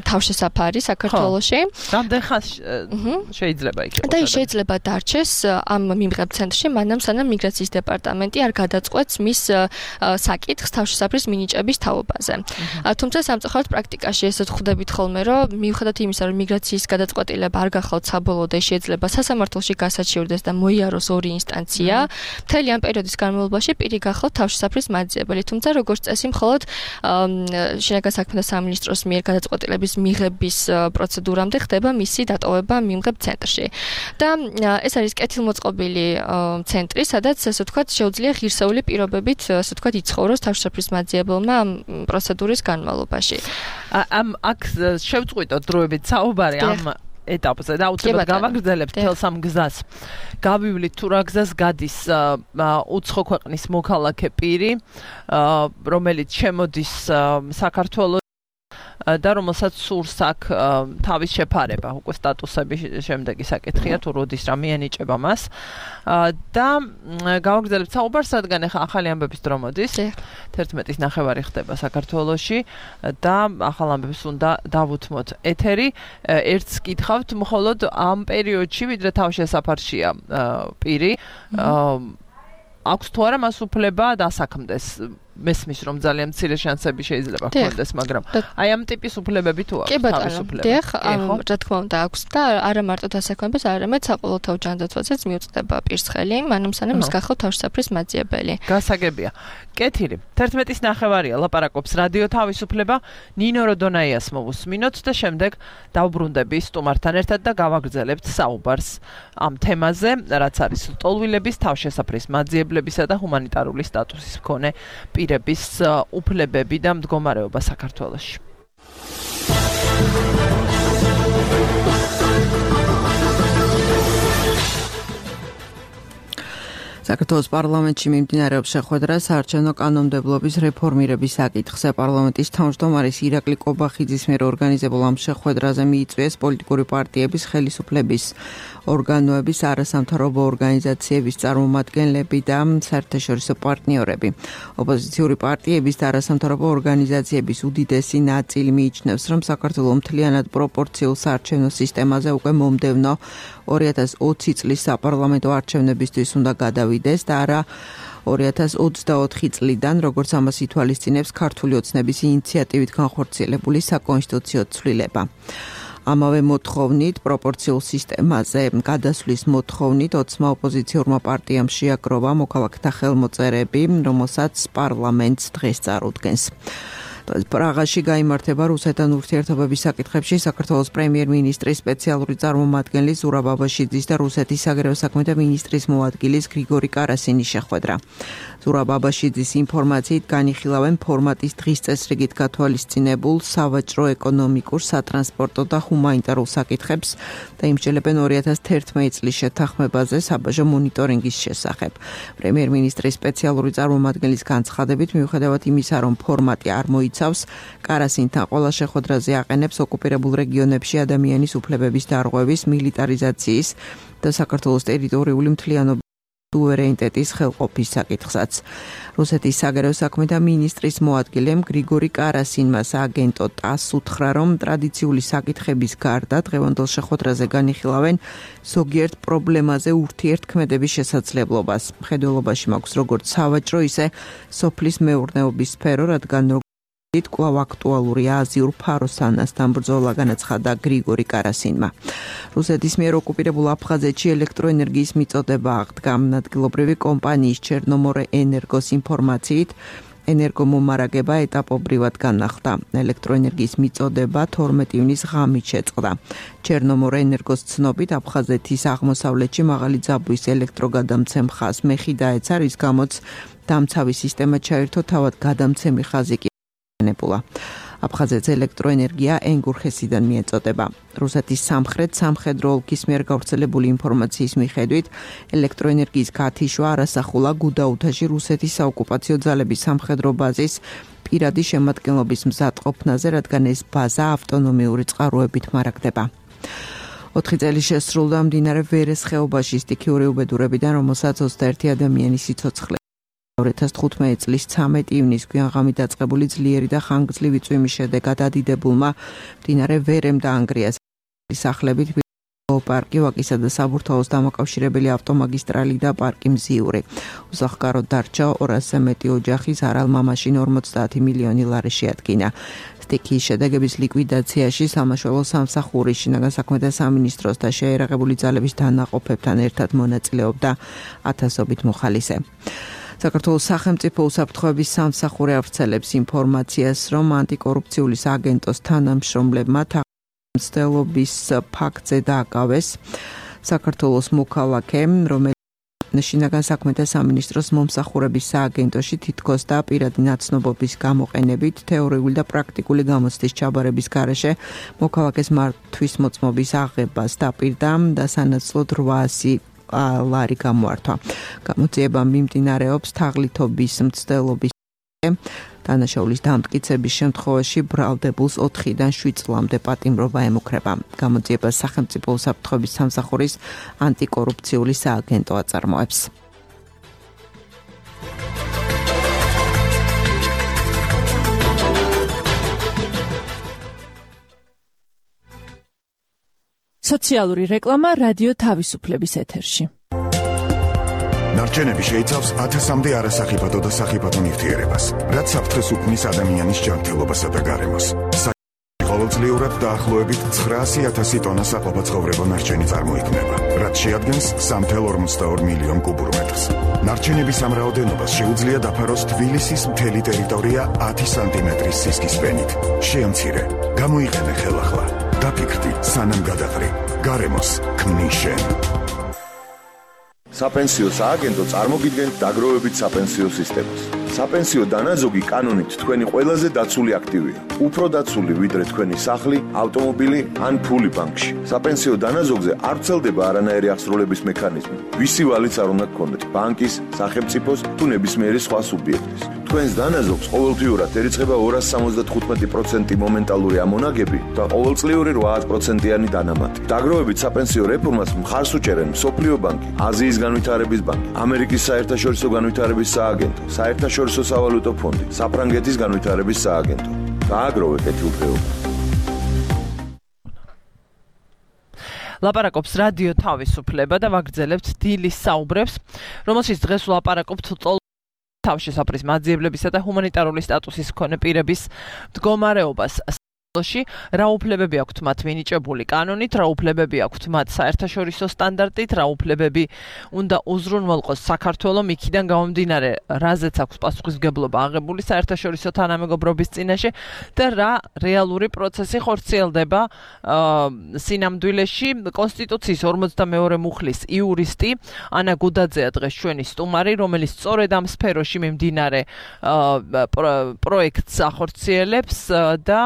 თავშესაფარი საქართველოში. რამდენ ხანს შეიძლება იქ იყოს? და ის შეიძლება დარჩეს ამ მიმღებ ცენტრში, მანამ სანამ მიგრაციის დეპარტამენტი არ გადაწყვეტს მის საკითხს თავშესაფრის მინიჭების თაობაზე. თუმცა სამწუხაროდ პრაქტიკაში ესეც ხვდებით ხოლმე, რომ მიუხედავად იმისა, რომ მიგრაციის გადაწყვეტილება არ გახლავთ საბოლოო და შეიძლება სასამართლოში გასაჩივრდეს და მოიაროს ორი ინსტანცია, მთელი ამ პერიოდის განმავლობაში პირი გახლავთ თავშესაფრის მაძიებელი, თუმცა როგორც წესი მხოლოდ შინაგან საქმეთა სამინისტროს მიერ გადაწყვეტილების მიღების პროცედურამდე ხდება მისი დატოვება მიმღებ ცენტრში. და ეს არის კეთილმოწყობილი ცენტრი, სადაც ასე ვთქვათ, შეუძლია ღირსეული პირობებით, ასე ვთქვათ, იცხოვროს თავშესაფრის მაძიებელმა ამ პროცედურის განმავლობაში. ამ აქ შევწყვიტოთ დროებით საუბარი ამ ეტაპზე და უცებად გავაგრძელებთ თელს ამ გზას. გავივლით თუ რა გზას გადის უცხო ქვეყნის მოქალაქე პირი, რომელიც შემოდის საქართველოს და რომელსაც სურს აქ თავის შეფარება, უკვე სტატუსების შემდეგი საკითხია, თუ როდის რა მიენიჭება მას. და გავაგრძელებთ საუბარს, რადგან ახლა ახალი ამბების დრო მოდის. თერთმეტის ნახევარი ხდება საქართველოში და ახალ ამბებს უნდა დავუთმოთ ეთერი. ერთს გითხავთ, მხოლოდ ამ პერიოდში, ვიდრე თავშესაფარშია პირი, აქვს თუ არა მას უფლება დასაქმდეს. მესმის რომ ძალიან მცირე შანსები შეიძლება ჰქონდეს, მაგრამ აი ამ ტიპის უფლებები თუ აქვს თავისუფლება. დიახ, რა თქმა უნდა აქვს და არა მარტო დასაქმებას, არამედ საყოველთაო ჯანდაცვასაც მიუწვდება პირს ხელი, მანამ სანამ ის გახლავთ თავშესაფრის მაძიებელი. გასაგებია. კეთილი. თერთმეტის ნახევარია ლაპარაკობს რადიო თავისუფლება, ნინო როდონაიას მოვუსმინოთ და შემდეგ დავბრუნდები სტუმართან ერთად და გავაგრძელებთ საუბარს ამ თემაზე, რაც არის ლტოლვილების, თავშესაფრის მაძიებლებისა და ჰუმანიტარული სტატუსის მქონე პირების უფლებები და მდგომარეობა საქართველოში. საქართველოს პარლამენტში მიმდინარეობს შეხვედრა საარჩევნო კანონმდებლობის რეფორმირების საკითხზე. პარლამენტის თავმჯდომარის ირაკლი კობახიძის მიერ ორგანიზებულ ამ შეხვედრაზე მიიწვიეს პოლიტიკური პარტიების, ხელისუფლების ორგანოების, არასამთავრობო ორგანიზაციების წარმომადგენლები და საერთაშორისო პარტნიორები. ოპოზიციური პარტიების და არასამთავრობო ორგანიზაციების უდიდესი ნაწილი მიიჩნევს, რომ საქართველოს მთლიანად პროპორციულ საარჩევნო სისტემაზე უკვე მომდევნო ორი ათას ოცი წლის საპარლამენტო არჩევნებისთვის უნდა გადავიდეს და არა ორი ათას ოცდაოთხი წლიდან, როგორც ამას ითვალისწინებს ქართული ოცნების ინიციატივით განხორციელებული საკონსტიტუციო ცვლილება. ამავე მოთხოვნით, პროპორციულ სისტემაზე გადასვლის მოთხოვნით ოცმა ოპოზიციურმა პარტიამ შეაგროვა მოქალაქეთა ხელმოწერები, რომელსაც პარლამენტს დღეს წარუდგენს. პრაღაში გაიმართება რუსეთთან ურთიერთობების საკითხებში საქართველოს პრემიერ-მინისტრის სპეციალური წარმომადგენლის ზურაბ აბაშიძის და რუსეთის საგარეო საქმეთა მინისტრის მოადგილის გრიგორი კარასინის შეხვედრა. ზურაბ აბაშიძის ინფორმაციით განიხილავენ ფორმატის დღის წესრიგით გათვალისწინებულ სავაჭრო, ეკონომიკურ, სატრანსპორტო და ჰუმანიტარულ საკითხებს და იმსჯელებენ ორი ათას თერთმეტი წლის შეთანხმებაზე საბაჟო მონიტორინგის შესახებ. პრემიერ-მინისტრის სპეციალური წარმომადგენლის განცხადებით, მიუხედავად იმისა, რომ ფორმატი არ მოიცავს, კარასინთან ყველა შეხვედრაზე აყენებს ოკუპირებულ რეგიონებში ადამიანის უფლებების დარღვევის, მილიტარიზაციის და საქართველოს ტერიტორიული მთლიანობის სუვერენიტეტის ხელყოფის საკითხსაც. რუსეთის საგარეო საქმეთა მინისტრის მოადგილემ გრიგორი კარასინმა სააგენტო ტას უთხრა, რომ ტრადიციული საკითხების გარდა დღევანდელ შეხვედრაზე განიხილავენ ზოგიერთ პრობლემაზე ურთიერთქმედების შესაძლებლობას. მხედველობაში მაქვს როგორც სავაჭრო, ისე სოფლის მეურნეობის სფერო, რადგან კვლავ აქტუალურია აზიურ ფაროსანასთან ბრძოლა, განაცხადა გრიგორი კარასინმა. რუსეთის მიერ ოკუპირებულ აფხაზეთში ელექტროენერგიის მიწოდება აღდგა. ადგილობრივი კომპანიის ჩერნომორე ენერგოს ინფორმაციით, ენერგომომარაგება ეტაპობრივად განახლდა. ელექტროენერგიის მიწოდება თორმეტი ივნის ღამით შეწყდა. ჩერნომორე ენერგოს ცნობით, აფხაზეთის აღმოსავლეთში მაღალი ძაბვის ელექტროგადამცემ ხაზს მეხი დაეცა, რის გამოც დამცავი სისტემა ჩაერთო, თავად გადამცემი ხაზი კი აფხაზეთს ელექტროენერგია ენგურხესიდან მიეწოდება. რუსეთის სამხრეთ სამხედრო ოლქის მიერ გავრცელებული ინფორმაციის მიხედვით, ელექტროენერგიის გათიშვა არასახულა გუდაუთაში რუსეთის საოკუპაციო ძალების სამხედრო ბაზის პირადი შემადგენლობის მზადყოფნაზე, რადგან ეს ბაზა ავტონომიური წყაროებით მარაგდება. ოთხი წელი შესრულდა მდინარე ვერეს ხეობაში სტიქიური უბედურებიდან, რომელსაც ოცდაერთი ადამიანი სიცოცხლე. ორი ათას თხუთმეტი წლის ცამეტი ივნის გვიანღამით დაწყებული ძლიერი და ხანგრძლივი წვიმის შედეგად ადიდებულმა მდინარე ვერემ დაანგრია. სახლებით პარკი, ვაკისა და საბურთალოს დამაკავშირებელი ავტომაგისტრალი და პარკი მზიური. უსახკაროდ დარჩა ორასზე მეტი ოჯახის არალმა მაშინ ორმოცდაათი მილიონი ლარი შეადგინა. სტიქიის შედეგების ლიკვიდაციაში სამაშველო სამსახური შინაგან საქმეთა სამინისტროს და შეერაღებული ძალების დანაყოფებთან ერთად მონაწილეობდა ათასობით მოხალისე. საქართველოს სახელმწიფო უსაფრთხოების სამსახური ავრცელებს ინფორმაციას, რომ ანტიკორუფციული სააგენტოს თანამშრომლებმა მცდელობის ფაქტზე დააკავეს საქართველოს მოქალაქე, რომელიც შინაგან საქმეთა სამინისტროს მომსახურების სააგენტოში თითქოს და პირადი ნაცნობობის გამოყენებით თეორიული და პრაქტიკული გამოცდის ჩაბარების გარეშე მოქალაქეს მართვის მოწმობის აღებას დაპირდა და სანაცვლოდ რვაასი ლარი გამოართვა. გამოძიება მიმდინარეობს თაღლითობის მცდელობის დანაშაულის დამტკიცების შემთხვევაში ბრალდებულს ოთხიდან შვიდ წლამდე პატიმრობა ემუქრება. გამოძიებას სახელმწიფო უსაფრთხოების სამსახურის ანტიკორუფციული სააგენტო აწარმოებს. სოციალური რეკლამა რადიო თავისუფლების ეთერში. ნარჩენები შეიცავს ათასამდე არასახიფათო და სახიფათო ნივთიერებას, რაც საფრთხეს უქმნის ადამიანის ჯანმრთელობასა და გარემოს. ყოველწლიურად დაახლოებით ცხრაასი ათასი ტონა საყოფაცხოვრებო ნარჩენი წარმოიქმნება, რაც შეადგენს სამი წუთი ორმოცდაორი მილიონი კუბურ მეტრს. ნარჩენების ამ რაოდენობას შეუძლია დაფაროს თბილისის მთელი ტერიტორია ათი სანტიმეტრის სისქის ფენით. შეამცირე, გამოიყენე ხელახლა. დაფიქრდი, სანამ გადაყრი. გარემოს ქმნის შენ. საპენსიო სააგენტო წარმოგიდგენთ დაგროვებით საპენსიო სისტემას. საპენსიო დანაზოგი კანონით თქვენი ყველაზე დაცული აქტივია. უფრო დაცული ვიდრე თქვენი სახლი, ავტომობილი ან ფული ბანკში. საპენსიო დანაზოგზე არ ვრცელდება არანაირი აღსრულების მექანიზმი. ვისი ვალიც არ უნდა გქონდეთ, ბანკის, სახელმწიფოს თუ ნებისმიერი სხვა სუბიექტის. თქვენს დანაზოგს ყოველთვიურად ერიცხება ორასი სამოცდათხუთმეტი პროცენტი მომენტალური ამონაგები და ყოველწლიური რვაასი პროცენტიანი დანამატი. დაგროვებით საპენსიო რეფორმას მხარს უჭერენ მსოფლიო ბანკი, აზიის განვითარების ბანკი, ამერიკის საერთაშორისო განვითარების სააგენტო, საერთაშორისო სავალუტო ფონდი, საფრანგეთის განვითარების სააგენტო. გააგროვე კეთილდღეობა. ლაპარაკობს რადიო თავისუფლება და ვაგრძელებთ დილის საუბრებს, რომელშიც დღეს ვლაპარაკობთ თავშესაფრის მაძიებლებისა და ჰუმანიტარული სტატუსის მქონე პირების მდგომარეობას. რა უფლებები აქვთ მათ მინიჭებული კანონით, რა უფლებები აქვთ მათ საერთაშორისო სტანდარტით, რა უფლებები უნდა უზრუნველყოს საქართველოს იქიდან გამომდინარე, რაზეც აქვს პასუხისმგებლობა აღებული საერთაშორისო თანამეგობრობის წინაშე და რა რეალური პროცესი ხორციელდება სინამდვილეში. კონსტიტუციის ორმოცდამეორე მუხლის იურისტი ანა გუდაძეა დღეს ჩვენი სტუმარი, რომელიც სწორედ ამ სფეროში მიმდინარე პროექტს ახორციელებს და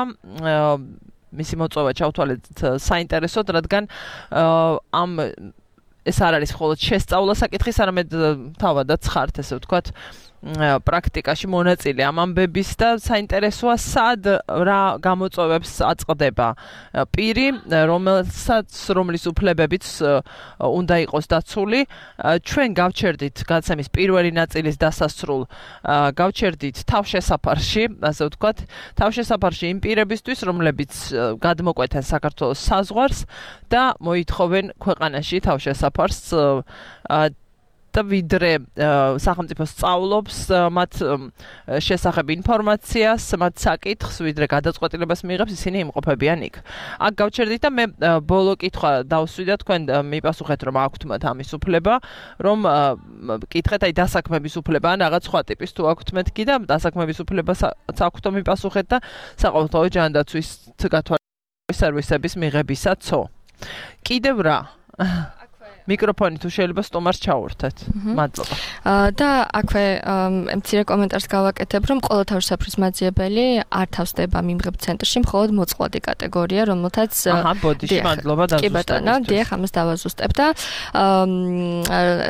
მისი მოწვევა ჩავთვალეთ საინტერესოდ, რადგან ამ ეს არ არის მხოლოდ შესწავლა საკითხის, არამედ თავადაც ხართ, ესე ვთქვათ, პრაქტიკაში მონაწილე ამ ამბების და საინტერესოა სად რა გამოწვევებს აწყდება პირი, რომელსაც რომლის უფლებებიც უნდა იყოს დაცული. ჩვენ გავჩერდით გადაცემის პირველი ნაწილის დასასრულ, გავჩერდით თავშესაფარში, ასე ვთქვათ, თავშესაფარში იმ პირებისთვის, რომლებიც გადმოკვეთენ საქართველოს საზღვარს და მოითხოვენ ქვეყანაში თავშესაფარს და ვიდრე სახელმწიფო სწავლობს მათ შესახებ ინფორმაციას, მათ საკითხს, ვიდრე გადაწყვეტილებას მიიღებს, ისინი იმყოფებიან იქ. აქ გავჩერდით და მე ბოლო კითხვა დავსვიდა, თქვენ მიპასუხეთ, რომ აქვთ მათ ამის უფლება, რომ კითხეთ, აი დასაქმების უფლება ან რაღაც სხვა ტიპის თუ აქვთ მეთქი და დასაქმების უფლებას აქვთ მიპასუხეთ და საყოველთაო ჯანდაცვის გათვალისწინების სერვისების მიღებისაცო. კიდევ რა? მიკროფონი თუ შეიძლება სტუმარს ჩაურთეთ. მადლობა. და აქვე მცირე კომენტარს გავაკეთებ, რომ ყველა თავშესაფრის მაძიებელი არ თავსდება მიმღებ ცენტრში, მხოლოდ მოწყვლადი კატეგორია, რომელთაც აჰა, ბოდიში, მადლობა დაზუსტებისთვის. კი ბატონო, დიახ, ამას დავაზუსტებ და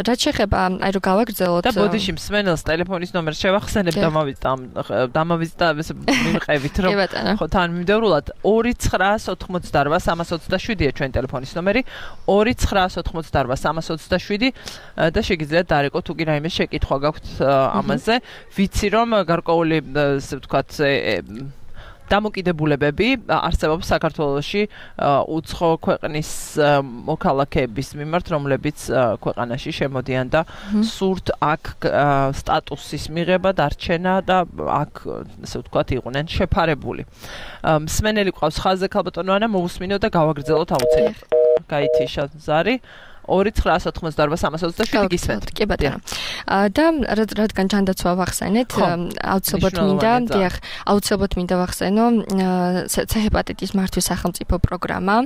რაც შეეხება, აი რომ გავაგრძელოთ და ბოდიში მსმენელს ტელეფონის ნომერს შევახსენებ და დამავიწყდა მიმყევით, რომ ხო თან მიმდევრულად ორი ცხრაას ოთხმოცდარვა სამას ოცდაშვიდია ჩვენი ტელეფონის ნომერი, ორი ცხრაას ოთხმოცდარვა სამას ოცდაშვიდი და შეგიძლიათ დარეკო თუ კი რაიმე შეკითხვა გაქვთ ამაზე. ვიცი რომ გარკვეული, ასე ვთქვათ, დამოკიდებულებები არსებობს საქართველოში უცხო ქვეყნის მოქალაქეების მიმართ, რომლებიც ქვეყანაში შემოდიან და სურთ აქ სტატუსის მიღება, დარჩენა და აქ ესე ვთქვათ იყვნენ შეფარებული. მსმენელი ყავს ხაზზე ქალბატონო ანა, მოусმინო და გავაგრძელოთ აუცილებლად. გაითიშა ზარი ორი ცხრაას ოთხმოცდაორბა სამას ოცდაშვიდი გისმენთ. კი ბატონო. და რადგან ჯანდაცვა ვახსენეთ, აუცილებლად მინდა, დიახ, აუცილებლად მინდა ვახსენო ცეჰეპატიტის მართვის სახელმწიფო პროგრამა,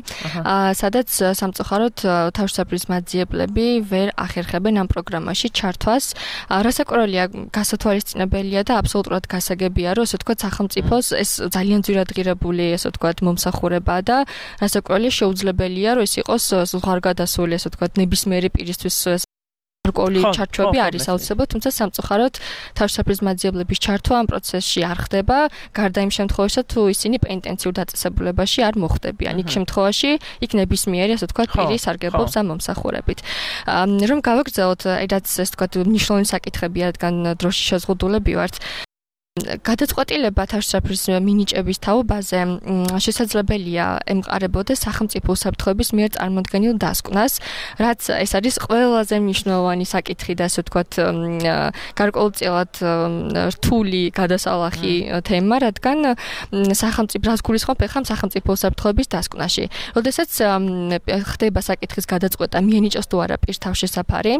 სადაც სამწუხაროდ თავშესაფრის მაძიებლები ვერ ახერხებენ ამ პროგრამაში ჩართვას. რასაკვირველია, გასათვალისწინებელია და აბსოლუტურად გასაგებია, რომ ესე ვთქვათ, სახელმწიფოს ეს ძალიან ძვირად ღირებული, ესე ვთქვათ, მომსახურებაა და რასაკვირველია, შეუძლებელია, რომ ეს იყოს ზღვარგადასული, ესე ვთქვათ, ნებისმიერი პირისთვის გარკვეული ჩარჩოები არის აუცილებლად, თუმცა სამწუხაროდ თავშესაფრის მაძიებლების ჩართვა ამ პროცესში არ ხდება, გარდა იმ შემთხვევაში, თუ ისინი პენიტენციურ დაწესებულებაში არ მოხვდებიან. იქ შემთხვევაში იქ ნებისმიერი, ასე ვთქვათ, პირი სარგებლობს ამ მომსახურებით. რომ გავაგრძელოთ, რაც ესე ვთქვათ, მნიშვნელოვანი საკითხებია, რადგან დროში შეზღუდულები ვართ. გადაწყვეტილება თავშესაფრის მინიჭების თაობაზე შესაძლებელია ემყარებოდეს სახელმწიფო უსაფრთხოების მიერ წარმოდგენილ დასკვნას, რაც ეს არის ყველაზე მნიშვნელოვანი საკითხი და ასე ვთქვათ, გარკვეულწილად რთული გადასალახი თემა, რადგან სახელმწიფო რას გულისხმობ ახლა სახელმწიფო უსაფრთხოების დასკვნაში. როდესაც ხდება საკითხის გადაწყვეტა მიენიჭოს თუ არა პირს თავშესაფარი,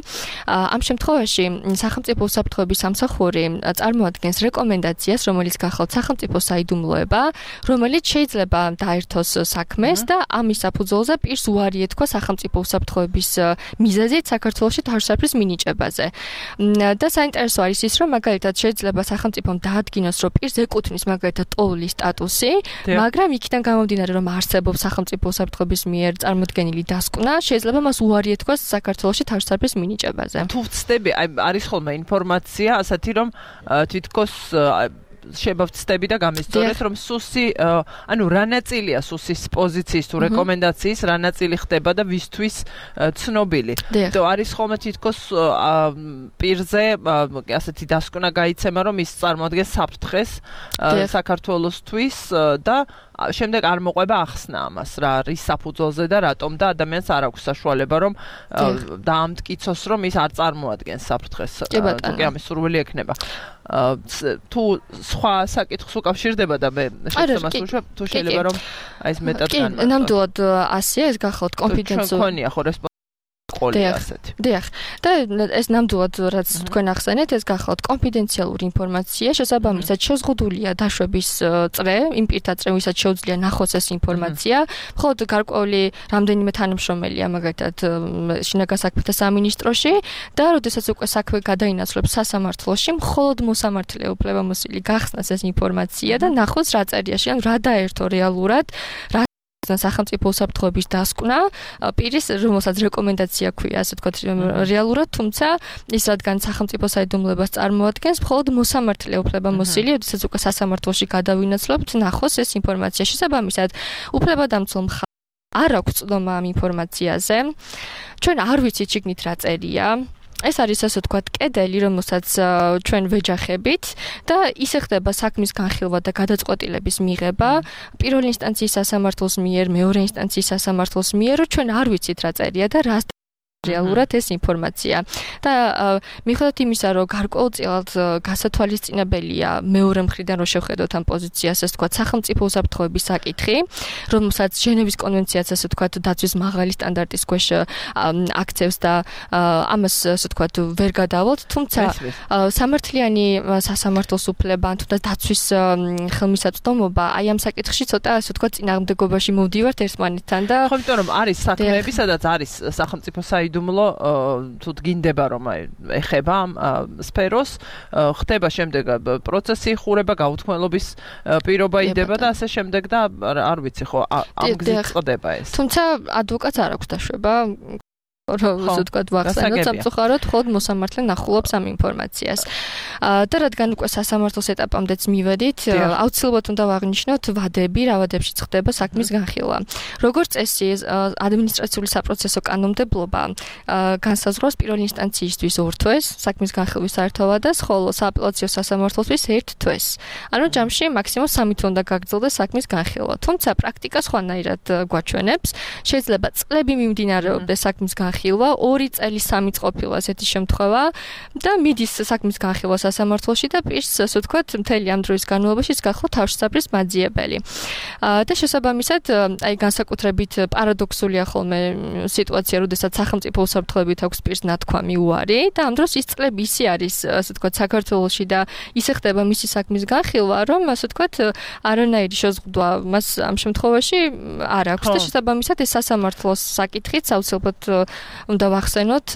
ამ შემთხვევაში სახელმწიფო უსაფრთხოების სამსახური წარმოადგენს რეკომენდაციას, რომელიც გახალთ სახელმწიფო საიდუმლოება, რომელიც შეიძლება დაერთოს საქმეს და ამის საფუძველზე პირს უარი ეთქვა სახელმწიფო უსაფრთხოების მიზეზით საქართველოში თავშესაფრის მინიჭებაზე. და საინტერესო არის ის, რომ მაგალითად შეიძლება სახელმწიფომ დაადგინოს, რომ პირს ეკუთვნის მაგალითად ტოლული სტატუსი, მაგრამ იქიდან გამომდინარე, რომ არსებობს სახელმწიფო უსაფრთხოების მიერ წარმოდგენილი დასკვნა, შეიძლება მას უარი ეთქვას საქართველოში თავშესაფრის მინიჭებაზე. თუ ვწდები, აი არის ხოლმე ინფორმაცია ასეთი, რომ თითქოს შეიძლება ვწდები და გამისწორეთ, რომ სუსი, ანუ რა ნაწილია სუსის პოზიციის თუ რეკომენდაციის, რა ნაწილი ხდება და ვისთვის ცნობილი. თუ არის ხოლმე თითქოს პირზე ასეთი დასკვნა გაიცემა, რომ ის წარმოადგენს საფრთხეს საქართველოსთვის და შემდეგ არ მოყვება ახსნა ამას, რა არის საფუძველზე და რატომ და ადამიანს არ აქვს საშუალება, რომ დაამტკიცოს, რომ ის არ წარმოადგენს საფრთხეს. თუკი ამის სურვილი ექნება. თუ სხვა საკითხს უკავშირდება და მე შემდგომას უშვებ, თუ შეიძლება რომ აი ეს მეტად კი, ნამდვილად ასეა, ეს გახალთ კონფიდენციალური. თქვენია ხო ყოლია ასეთი. დიახ. და ეს ნამდვილად რაც თქვენ ახსენეთ, ეს გახალთ კონფიდენციალური ინფორმაცია, შესაბამისად შეზღუდულია დაშვების წრე, იმ პირთა წრე, ვისაც შეუძლია ნახოს ეს ინფორმაცია. მხოლოდ გარკვეული რამდენიმე თანამშრომელია მაგალითად შინაგან საქმეთა სამინისტროში და როდესაც უკვე საქმე გადაინაცვლებს სასამართლოში, მხოლოდ მოსამართლე უფლებამოსილი გახსნას ეს ინფორმაცია და ნახოს რა წერიაში, ან რა დაერთო რეალურად, რა სახელმწიფო უსაფრთხოების დასკვნა პირის, რომელსაც რეკომენდაცია ქვია, ასე ვთქვათ, რეალურად, თუმცა ის რადგან სახელმწიფო საიდუმლოებას წარმოადგენს, მხოლოდ მოსამართლე უფლებამოსილი, როდესაც უკვე სასამართლოში გადავინაცვლებთ, ნახოს ეს ინფორმაცია. შესაბამისად, უფლებადამცველ მხარეს არ აქვს წვდომა ამ ინფორმაციაზე. ჩვენ არ ვიცით შიგნით რა წერია. ეს არის ასე ვთქვათ კედელი, რომელსაც ჩვენ ვეჯახებით და ისე ხდება საქმის განხილვა და გადაწყვეტილების მიღება პირველი ინსტანციის სასამართლოს მიერ, მეორე ინსტანციის სასამართლოს მიერ, რომ ჩვენ არ ვიცით რა წერია და რა რეალურად ეს ინფორმაცია. და მიუხედავად იმისა, რომ გარკვეულწილად გასათვალისწინებელია მეორე მხრიდან რომ შევხედოთ ამ პოზიციას, ასე ვთქვათ, სახელმწიფო უსაფრთხოების საკითხი, რომელსაც ჟენევის კონვენციაც ასე ვთქვათ, დაცვის მაღალი სტანდარტის ქვეშ აქცევს და ამას ასე ვთქვათ, ვერ გადავალთ, თუმცა სამართლიანი სასამართლოს უფლება, ან თუნდაც დაცვის ხელმისაწვდომობა, აი ამ საკითხში ცოტა ასე ვთქვათ, წინააღმდეგობაში მოვდივართ ერთმანეთთან და ხო, იმიტომ რომ არის საქმეები, სადაც არის სახელმწიფო საიდუმლო, თუ გინდება რომ ეხება ამ სფეროს, ხდება შემდეგ პროცესი, ხურება, გაუთქმელობის პირობა იდება და ასე შემდეგ და არ ვიცი ხო, ამ გზით წყდება ეს. თუმცა ადვოკატს არ აქვს დაშვება რომ ასე ვთქვათ ვახსენოთ სამწუხაროდ მხოლოდ მოსამართლე ნახულობს ამ ინფორმაციას. და რადგან უკვე სასამართლოს ეტაპამდეც მივედით, აუცილებლად უნდა ვაღნიშნოთ ვადები, რა ვადებში ხდება საქმის განხილვა. როგორც წესი, ადმინისტრაციული საპროცესო კანონმდებლობა განსაზღვრავს პირველი ინსტანციისთვის ორ თვეს საქმის განხილვის საერთოვადას, ხოლო სააპელაციო სასამართლოსთვის ერთ თვეს. ანუ ჯამში მაქსიმუმ სამი თვე უნდა გაგრძელდეს საქმის განხილვა. თუმცა პრაქტიკა სხვანაირად გვაჩვენებს, შეიძლება წლები მიმდინარეობდეს საქმის განხილვა, ორი წელი სამი ყოფილა ესეთი შემთხვევა და მიდის საქმის განხილვა სასამართლოში და პირს, ასე ვთქვათ, მთელი ამ დროის განმავლობაში გახლა თავშესაფრის მაძიებელი. და შესაბამისად, აი განსაკუთრებით პარადოქსულია ხოლმე სიტუაცია, როდესაც სახელმწიფო უსაფრთხოებით აქვს პირს ნათქვამი უარი და ამ დროს ის წლები ისე არის, ასე ვთქვათ, საქართველოში და ისე ხდება მისი საქმის განხილვა, რომ ასე ვთქვათ, არანაირი შეზღუდვა მას ამ შემთხვევაში არ აქვს და შესაბამისად ეს სასამართლოს საკითხიც აუცილებლად უნდა ვახსენოთ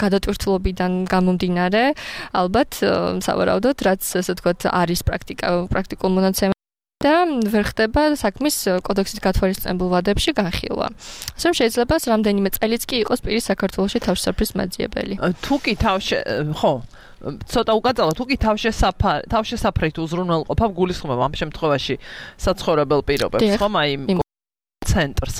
გადატვირთულობიდან გამომდინარე, ალბათ სავარაუდოდ, რაც ასე ვთქვათ, არის პრაქტიკა, პრაქტიკულ მონაცემ და ვერ ხდება საქმის კოდექსის გათვალისწინებულ ვადებში განხილვა. ასე რომ შეიძლება რამდენიმე წელიც კი იყოს პირის საქართველოში თავშესაფრის მაძიებელი. თუ კი თავშე ხო ცოტა უკაცრავად თუ კი თავშესაფარი თავშესაფრით უზრუნველყოფა გულისხმობა ამ შემთხვევაში საცხოვრებელ პირობებს, ხომ აი ცენტრს.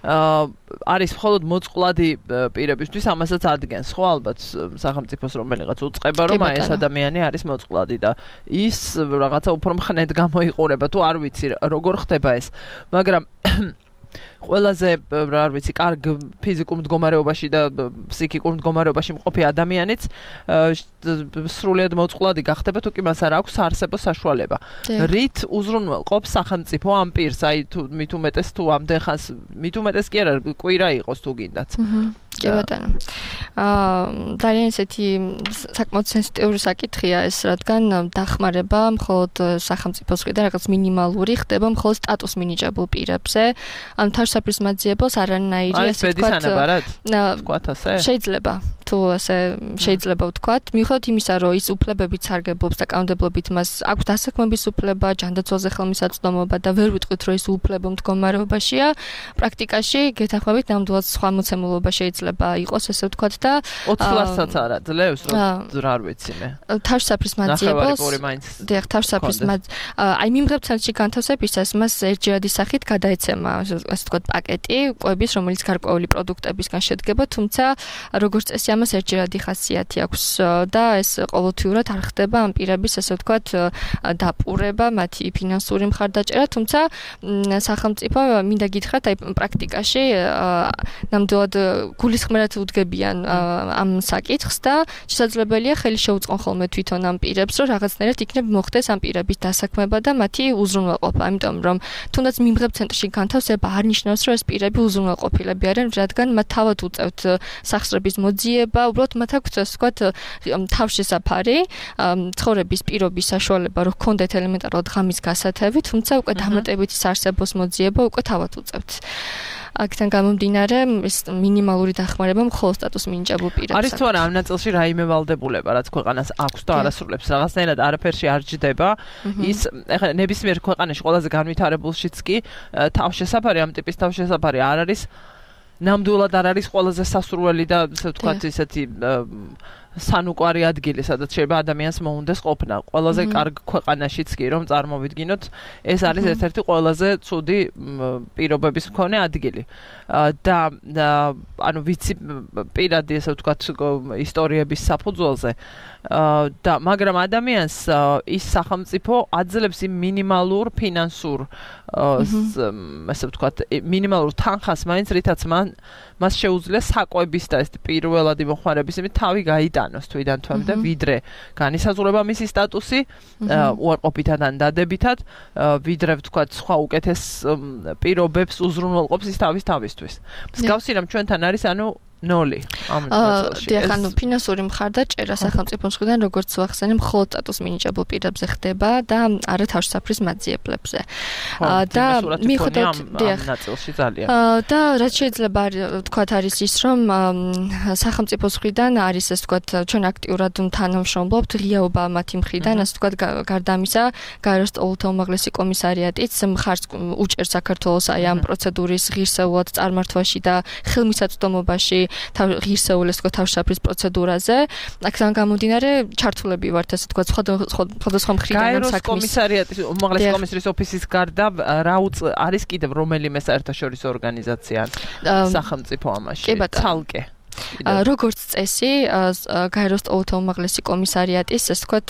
აა არის მხოლოდ მოწყვლადი პირებისთვის ამასაც ადგენს, ხო ალბათ სახელმწიფოს რომელიღაც უწყება, რომ აი ეს ადამიანი არის მოწყვლადი და ის რაღაცა უფრო მხნედ გამოიყურება, თუ არ ვიცი როგორ ხდება ეს, მაგრამ ყველაზე არ ვიცი, კარგ ფიზიკურ მდგომარეობაში და ფსიქიკურ მდგომარეობაში მყოფი ადამიანიც სრულიად მოწყვლადი გახდება, თუ კი მას არ აქვს საარსებო საშუალება. რით უზრუნველყოფს სახელმწიფო ამ პირს, აი თუ მით უმეტეს თუ ამდენ ხანს, მით უმეტეს კი არა, კვირა იყოს თუ გინდათ. კი ბატონო. აა ძალიან ესეთი საკმაოდ სენსიტიური საკითხია ეს, რადგან დახმარება მხოლოდ სახელმწიფოს მხრიდან რაღაც მინიმალური ხდება მხოლოდ სტატუს მინიჭებულ პირებზე. ან თავშესაფრის მაძიებელს არანაირი ასე ვთქვათ. ვთქვათ ასე? შეიძლება თუ ასე შეიძლება ვთქვათ, მიუხედავად იმისა, რომ ის უფლებებით სარგებლობს და კანონმდებლობით მას აქვს დასაქმების უფლება, ჯანდაცვალზე ხელმისაწვდომობა და ვერ ვიტყვით, რომ ის უფლებო მდგომარეობაშია, პრაქტიკაში გეთანხმებით ნამდვილად სხვა მოცემულობა შეიძლება იყოს, ასე ვთქვათ და ოცი ლარსაც არა ძლევს, რომ რა არ ვიცი მე. თავშესაფრის მაძიებელს დიახ, თავშესაფრის მად აი მიმღებ ცენტრში განთავსებისას მას ერთჯერადი სახით გადაეცემა, ასე ვთქვათ, პაკეტი კვების, რომელიც გარკვეული პროდუქტებისგან შედგება, თუმცა როგორც წესი ამას ერთჯერადი ხასიათი აქვს და ეს ყოველთვიურად არ ხდება ამ პირების, ასე ვთქვათ, დაპურება, მათი ფინანსური მხარდაჭერა, თუმცა სახელმწიფო მინდა გითხრათ, აი პრაქტიკაში ნამდვილად გულისხმერად უდგებიან ამ საკითხს და შესაძლებელია ხელი შეუწყონ ხოლმე თვითონ ამ პირებს, რომ რაღაცნაირად იქნებ მოხდეს ამ პირების დასაქმება და მათი უზრუნველყოფა, ამიტომ რომ თუნდაც მიმღებ ცენტრში განთავსება არ ნიშნავს, რომ ეს პირები უზრუნველყოფილები არიან, რადგან მათ თავად უწევთ სახსრების მოძიება, უბრალოდ მათ აქვთ, ასე ვთქვათ, თავშესაფარი, ცხოვრების პირობის საშუალება, რომ ჰქონდეთ ელემენტარულად ღამის გასათევი, თუმცა უკვე დამატებითი საარსებოს მოძიება უკვე თავად უწევთ. აქედან გამომდინარე, ეს მინიმალური დახმარება მხოლოდ სტატუს მინიჭებულ პირებს. არის თუ არა ამ ნაწილში რაიმე ვალდებულება, რაც ქვეყანას აქვს და არასრულებს, რაღაცნაირად არაფერში არ ჯდება, ის ეხლა ნებისმიერ ქვეყანაში ყველაზე განვითარებულშიც კი თავშესაფარი, ამ ტიპის თავშესაფარი არ არის ნამდვილად არ არის ყველაზე სასურველი და ასე ვთქვათ, ისეთი სანუკვარი ადგილი, სადაც შეიძლება ადამიანს მოუნდეს ყოფნა. ყველაზე კარგ ქვეყანაშიც კი რომ წარმოვიდგინოთ, ეს არის ერთ-ერთი ყველაზე ცუდი პირობების მქონე ადგილი. და ანუ ვიცი პირადი, ასე ვთქვათ, ისტორიების საფუძველზე და მაგრამ ადამიანს ის სახელმწიფო აძლევს იმ მინიმალურ ფინანსურ ასე ვთქვათ, მინიმალურ თანხას მაინც, რითაც მან მას შეუძლია საკვების და ეს პირველადი მოხმარების იმით თავი გაიტანოს თვიდან თვემდე, ვიდრე განისაზღვრება მისი სტატუსი უარყოფითად ან დადებითად, ვიდრე ვთქვათ, სხვა უკეთეს პირობებს უზრუნველყოფს ის თავის თავისთვის. მსგავსი რამ ჩვენთან არის, ანუ ნოლი ამ ნაწილში. დიახ, ანუ ფინანსური მხარდაჭერა სახელმწიფოს მხრიდან, როგორც ვახსენე, მხოლოდ სტატუს მინიჭებულ პირებზე ხდება და არა თავშესაფრის მაძიებლებზე. და მიუხედავად ამ ნაწილში ძალიან. და რაც შეიძლება ვთქვათ არის ის, რომ სახელმწიფოს მხრიდან არის, ასე ვთქვათ, ჩვენ აქტიურად თანამშრომლობთ ღიაობა მათი მხრიდან, ასე ვთქვათ, გარდა ამისა, გაეროს სტოლთა უმაღლესი კომისარიატიც მხარს უჭერს საქართველოს აი ამ პროცედურის ღირსეულად წარმართვაში და ხელმისაწვდომობაში ღირსეული, ასე ვთქვათ, თავშესაფრის პროცედურაზე. აქედან გამომდინარე, ჩართულები ვართ, ასე ვთქვათ, სხვადასხვა მხრიდან საქმის კომისარიატის უმაღლესი კომისრის ოფისის გარდა რა არის კიდევ რომელიმე საერთაშორისო ორგანიზაცია სახელმწიფო ამაში? ცალკე. როგორც წესი, გაეროს ტოლთა უმაღლესი კომისარიატის, ასე ვთქვათ,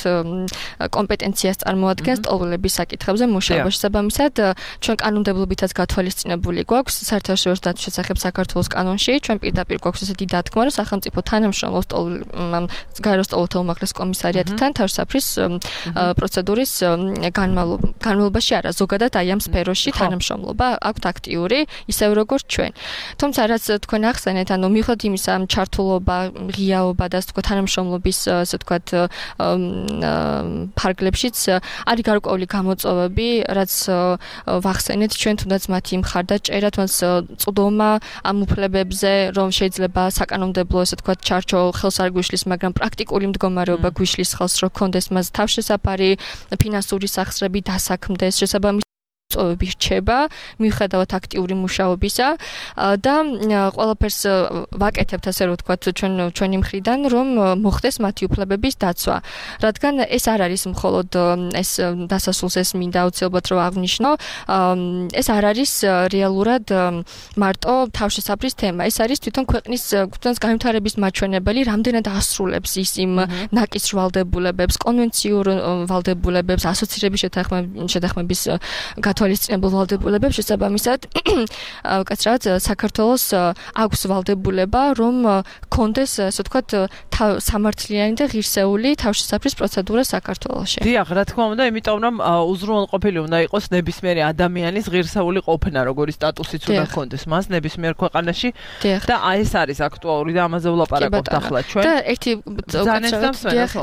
კომპეტენციას წარმოადგენს ტოლების საკითხებზე მუშაობა. შესაბამისად, ჩვენ კანონმდებლობითაც გათვალისწინებული გვაქვს საერთაშორისო დათვის შესახებ საქართველოს კანონში, ჩვენ პირდაპირ გვაქვს ესეთი დათქმა, რომ სახელმწიფო თანამშრომლობს გაეროს ტოლთა უმაღლეს კომისარიატთან თავშესაფრის პროცედურის განმავლობაში არა, ზოგადად აი ამ სფეროში თანამშრომლობა აქვთ აქტიური, ისევ როგორც ჩვენ. თუმცა რაც თქვენ ახსენეთ, ანუ მიუხედავად იმისა, ჩართულობა, ღიაობა და ასე ვთქვათ, თანამშრომლობის ასე ვთქვათ ფარგლებშიც არის გარკვეული გამოწვევები, რაც ვახსენეთ ჩვენ თუნდაც მათი მხარდაჭერა, თუნდაც წვდომა ამ უფლებებზე, რომ შეიძლება საკანონმდებლო ასე ვთქვათ ჩარჩო ხელს არ გვიშლის, მაგრამ პრაქტიკული მდგომარეობა გვიშლის ხელს, რომ კონდეს მას თავშესაფარი, ფინანსური სახსრები დასაქმდეს, შესაბამისად წოვები რჩება მიუხედავად აქტიური მუშაობისა და ყველაფერს ვაკეთებთ ასე რომ ვთქვათ ჩვენ ჩვენი მხრიდან რომ მოხდეს მათი უფლებების დაცვა. რადგან ეს არ არის მხოლოდ ეს დასასრულს ეს მინდა აუცილებლად რომ აღნიშნო, ეს არ არის რეალურად მარტო თავშესაფრის თემა. ეს არის თვითონ ქვეყნის ქვეყნის განვითარების მაჩვენებელი, რამდენად ასრულებს ის იმ ნაკის ვალდებულებებს, კონვენციურ ვალდებულებებს, ასოცირების შეთანხმების თვალისწინებულ ვალდებულებებს შესაბამისად ვკაცრად საქართველოს აქვს ვალდებულება რომ კონდეს ასე ვთქვათ სამართლიანი და ღირსეული თავშესაფრის პროცედურა საქართველოში. დიახ, რა თქმა უნდა, იმიტომ რომ უზრუნველყოფილი უნდა იყოს ნებისმიერი ადამიანის ღირსეული ყოფნა, როგორი სტატუსიც უნდა ჰქონდეს მას ნებისმიერ ქვეყანაში და აი ეს არის აქტუალური და ამაზე ვლაპარაკობთ ახლა ჩვენ. და ერთი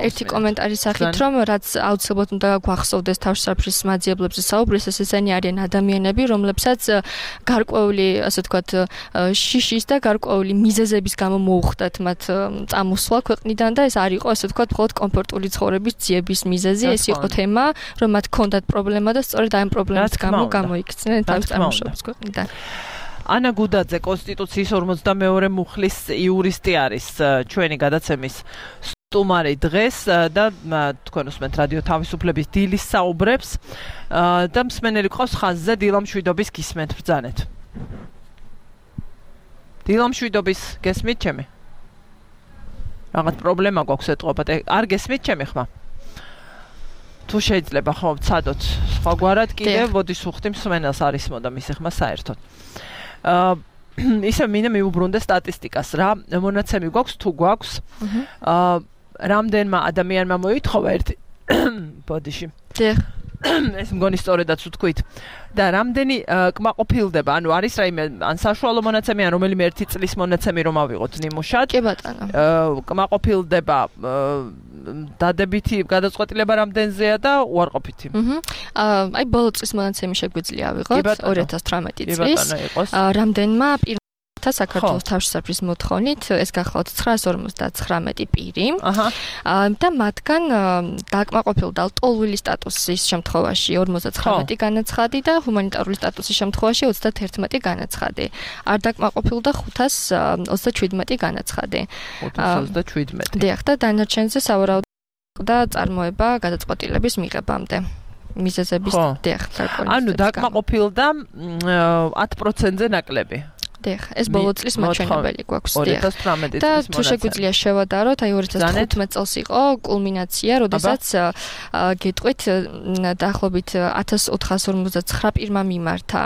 ერთი კომენტარის სახით რომ რაც აუცილებლად უნდა გვახსოვდეს თავშესაფრის მაძიებლებზე საუბრის ეს ესენი არიან ადამიანები, რომლებსაც გარკვეული, ასე ვთქვათ, შიშის და გარკვეული მიზეზების გამო მოუხდათ მათ წამოსვლა ქვეყნიდან და ეს არ იყო, ასე ვთქვათ, მხოლოდ კომფორტული ცხოვრების ძიების მიზეზი, ეს იყო თემა, რომ მათ ჰქონდათ პრობლემა და სწორედ ამ პრობლემის გამო გამოიქცნენ თავის წარმოშობის ქვეყნიდან. ანა გუდაძე, კონსტიტუციის ორმოცდამეორე მუხლის იურისტი არის ჩვენი გადაცემის სტუმარი დღეს და თქვენ უსმენთ რადიო თავისუფლების დილის საუბრებს და მსმენელი ყავს ხაზზე დილამშვიდობის გისმენთ ბრძანეთ. დილამშვიდობის გესმით ჩემი? რაღაც პრობლემა გვაქვს ეტყობათ, არ გესმით ჩემი ხმა? თუ შეიძლება ხო ვცადოთ სხვაგვარად კიდევ მოდის უხდი მსმენელს არის მოდა მისი ხმა საერთოდ. აა ისე მინდა მიუბრუნდე სტატისტიკას რა მონაცემი გვაქვს თუ გვაქვს აა რამდენმა ადამიანმა მოითხოვა ერთი ბოდიში. დიახ. ეს მგონი სწორედაც ვთქვით. და რამდენი კმაყოფილდება, ანუ არის რაიმე ან საშუალო მონაცემი, ან რომელიმე ერთი წლის მონაცემი რომ ავიღოთ ნიმუშად. კი ბატონო. კმაყოფილდება დადებითი გადაწყვეტილება რამდენზეა და უარყოფითი. აჰა. აი ბოლო წლის მონაცემი შეგვიძლია ავიღოთ ორი ათას თვრამეტი წლის. რამდენმა საქართველოს თავშესაფრის მოთხოვნით ეს გახლავთ ცხრაას ორმოცდაცხრამეტი პირი. აჰა. და მათგან დაკმაყოფილდა ტოლვილი სტატუსის შემთხვევაში ორმოცდაცხრამეტი განაცხადი და ჰუმანიტარული სტატუსის შემთხვევაში ოცდაათერთმეტი განაცხადი. არ დაკმაყოფილდა ხუთას ოცდაჩვიდმეტი განაცხადი. ხუთას ოცდაჩვიდმეტი. დიახ, და დანარჩენზე სავარაუდოდ და წარმოება გადაწყვეტილების მიღებამდე. მიზეზების დიახ, გარკვეული. ანუ დაკმაყოფილდა ათ პროცენტზე ნაკლები. დიახ, ეს ბოლო წლის მაჩვენებელი გვაქვს. ორი ათას თვრამეტი და თუ შეგვიძლია შევადაროთ, აი ორი ათას თხუთმეტი წელს იყო კულმინაცია, როდესაც გეტყვით დაახლოებით ათას ოთხას ორმოცდაცხრა პირმა მიმართა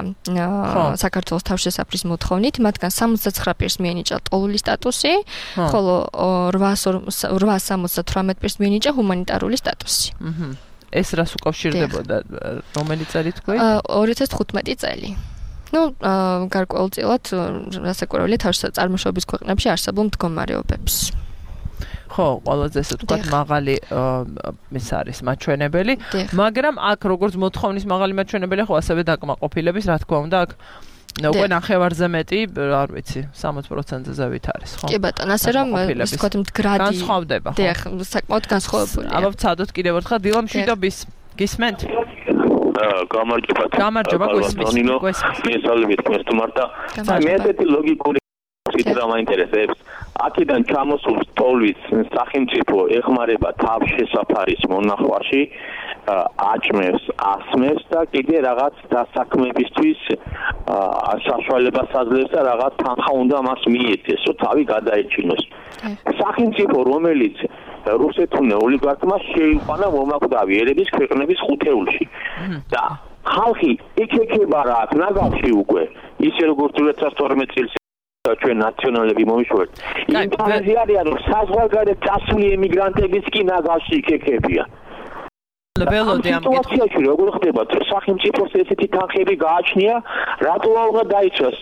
საქართველოს თავშესაფრის მოთხოვნით, მათგან სამოცდაცხრა პირს მიენიჭა ტოლული სტატუსი, ხოლო რვაას სამოცდათვრამეტ პირს მიენიჭა ჰუმანიტარული სტატუსი. აჰა. ეს რას უკავშირდებოდა? რომელი წელი თქვი? ორი ათას თხუთმეტი წელი. ну, გარკვეულწილად რასაკვირველია წარმოშობის ქვეყნებში არსებულ მდგომარეობებს. ხო, ყველაზე ესე ვთქვათ, მაღალი ეს არის მაჩვენებელი, მაგრამ აქ როგორც მოთხოვნის მაღალი მაჩვენებელი, ხო ასევე დაკმაყოფილების, რა თქმა უნდა, აქ უკვე ნახევარზე მეტი, არ ვიცი, სამოც პროცენტზე ზევით არის, ხო? კი ბატონო, ასე რომ ის თქვათ მდგრადი განსხვავდება, ხო? დიახ, საკმაოდ განსხვავებულია. აბა ვცადოთ კიდევ ერთხელ დილამშვიდობის გისმენთ? გამარჯობა. გამარჯობა, გვესმის. მესალმებით თქვენს თმართა. მე ესეთი ლოგიკური კიდევ მაინტერესებს აქედან ჩამოსულ სტოლვის სახელმწიფო ეხმარება თავშესაფარის მონახვაში აჭმევს, ასმევს და კიდე რაღაც დასაქმებისთვის საშუალებას აძლევს და რაღაც თანხა უნდა მას მიეცეს, რომ თავი გადაეჩინოს. სახელმწიფო, რომელიც რუსეთუნე ოლიგარქმა შეიყვანა მომაკვდავი ერების ქვეყნების ხუთეულში და ხალხი იქექება რა აქ ნაგავში უკვე ისე როგორც ორი ათას თორმეტ წელს ჩვენ ნაციონალები მომიშვერთ. იმპერატორი არიან რომ საზღვარგარეთ წასული ემიგრანტებიც კი ნაგავში იქექებიან. ველოდი ამ სიტუაციაში როგორ ხდება სახელმწიფოს ესეთი თანხები გააჩნია რატო აღარ დაიცვას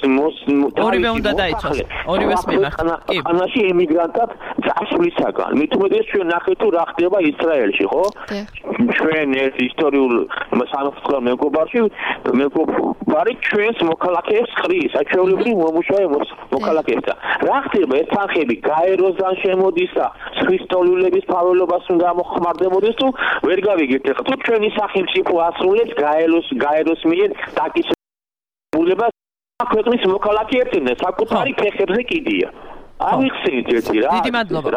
ორივე უნდა დაიცვას ორივეს მიმართ კი ანაში ემიგრანტად წასვლისაგან მით უმეტეს ჩვენ ნახეთ თუ რა ხდება ისრაელში ხო ჩვენ ეს ისტორიულ სამართლიან მეგობარში მეგობარი ჩვენს მოქალაქეებს ხრის აჩვეულებრივ მომუშავე მოქალაქეებს და რა ხდება ეს თანხები გაეროსთან შემოდის და ქრისტოლულების ფაველობას უნდა მოხმარდებოდეს თუ ვერ გავიგეთ თუ ჩვენი სახელმწიფო ასრულებს გაეროს გაეროს მიერ დაკისრებულებას ქვეყნის მოქალაქეებთან საკუთარი ფეხებზე კიდია. ამიხსენით ერთი რა. დიდი მადლობა.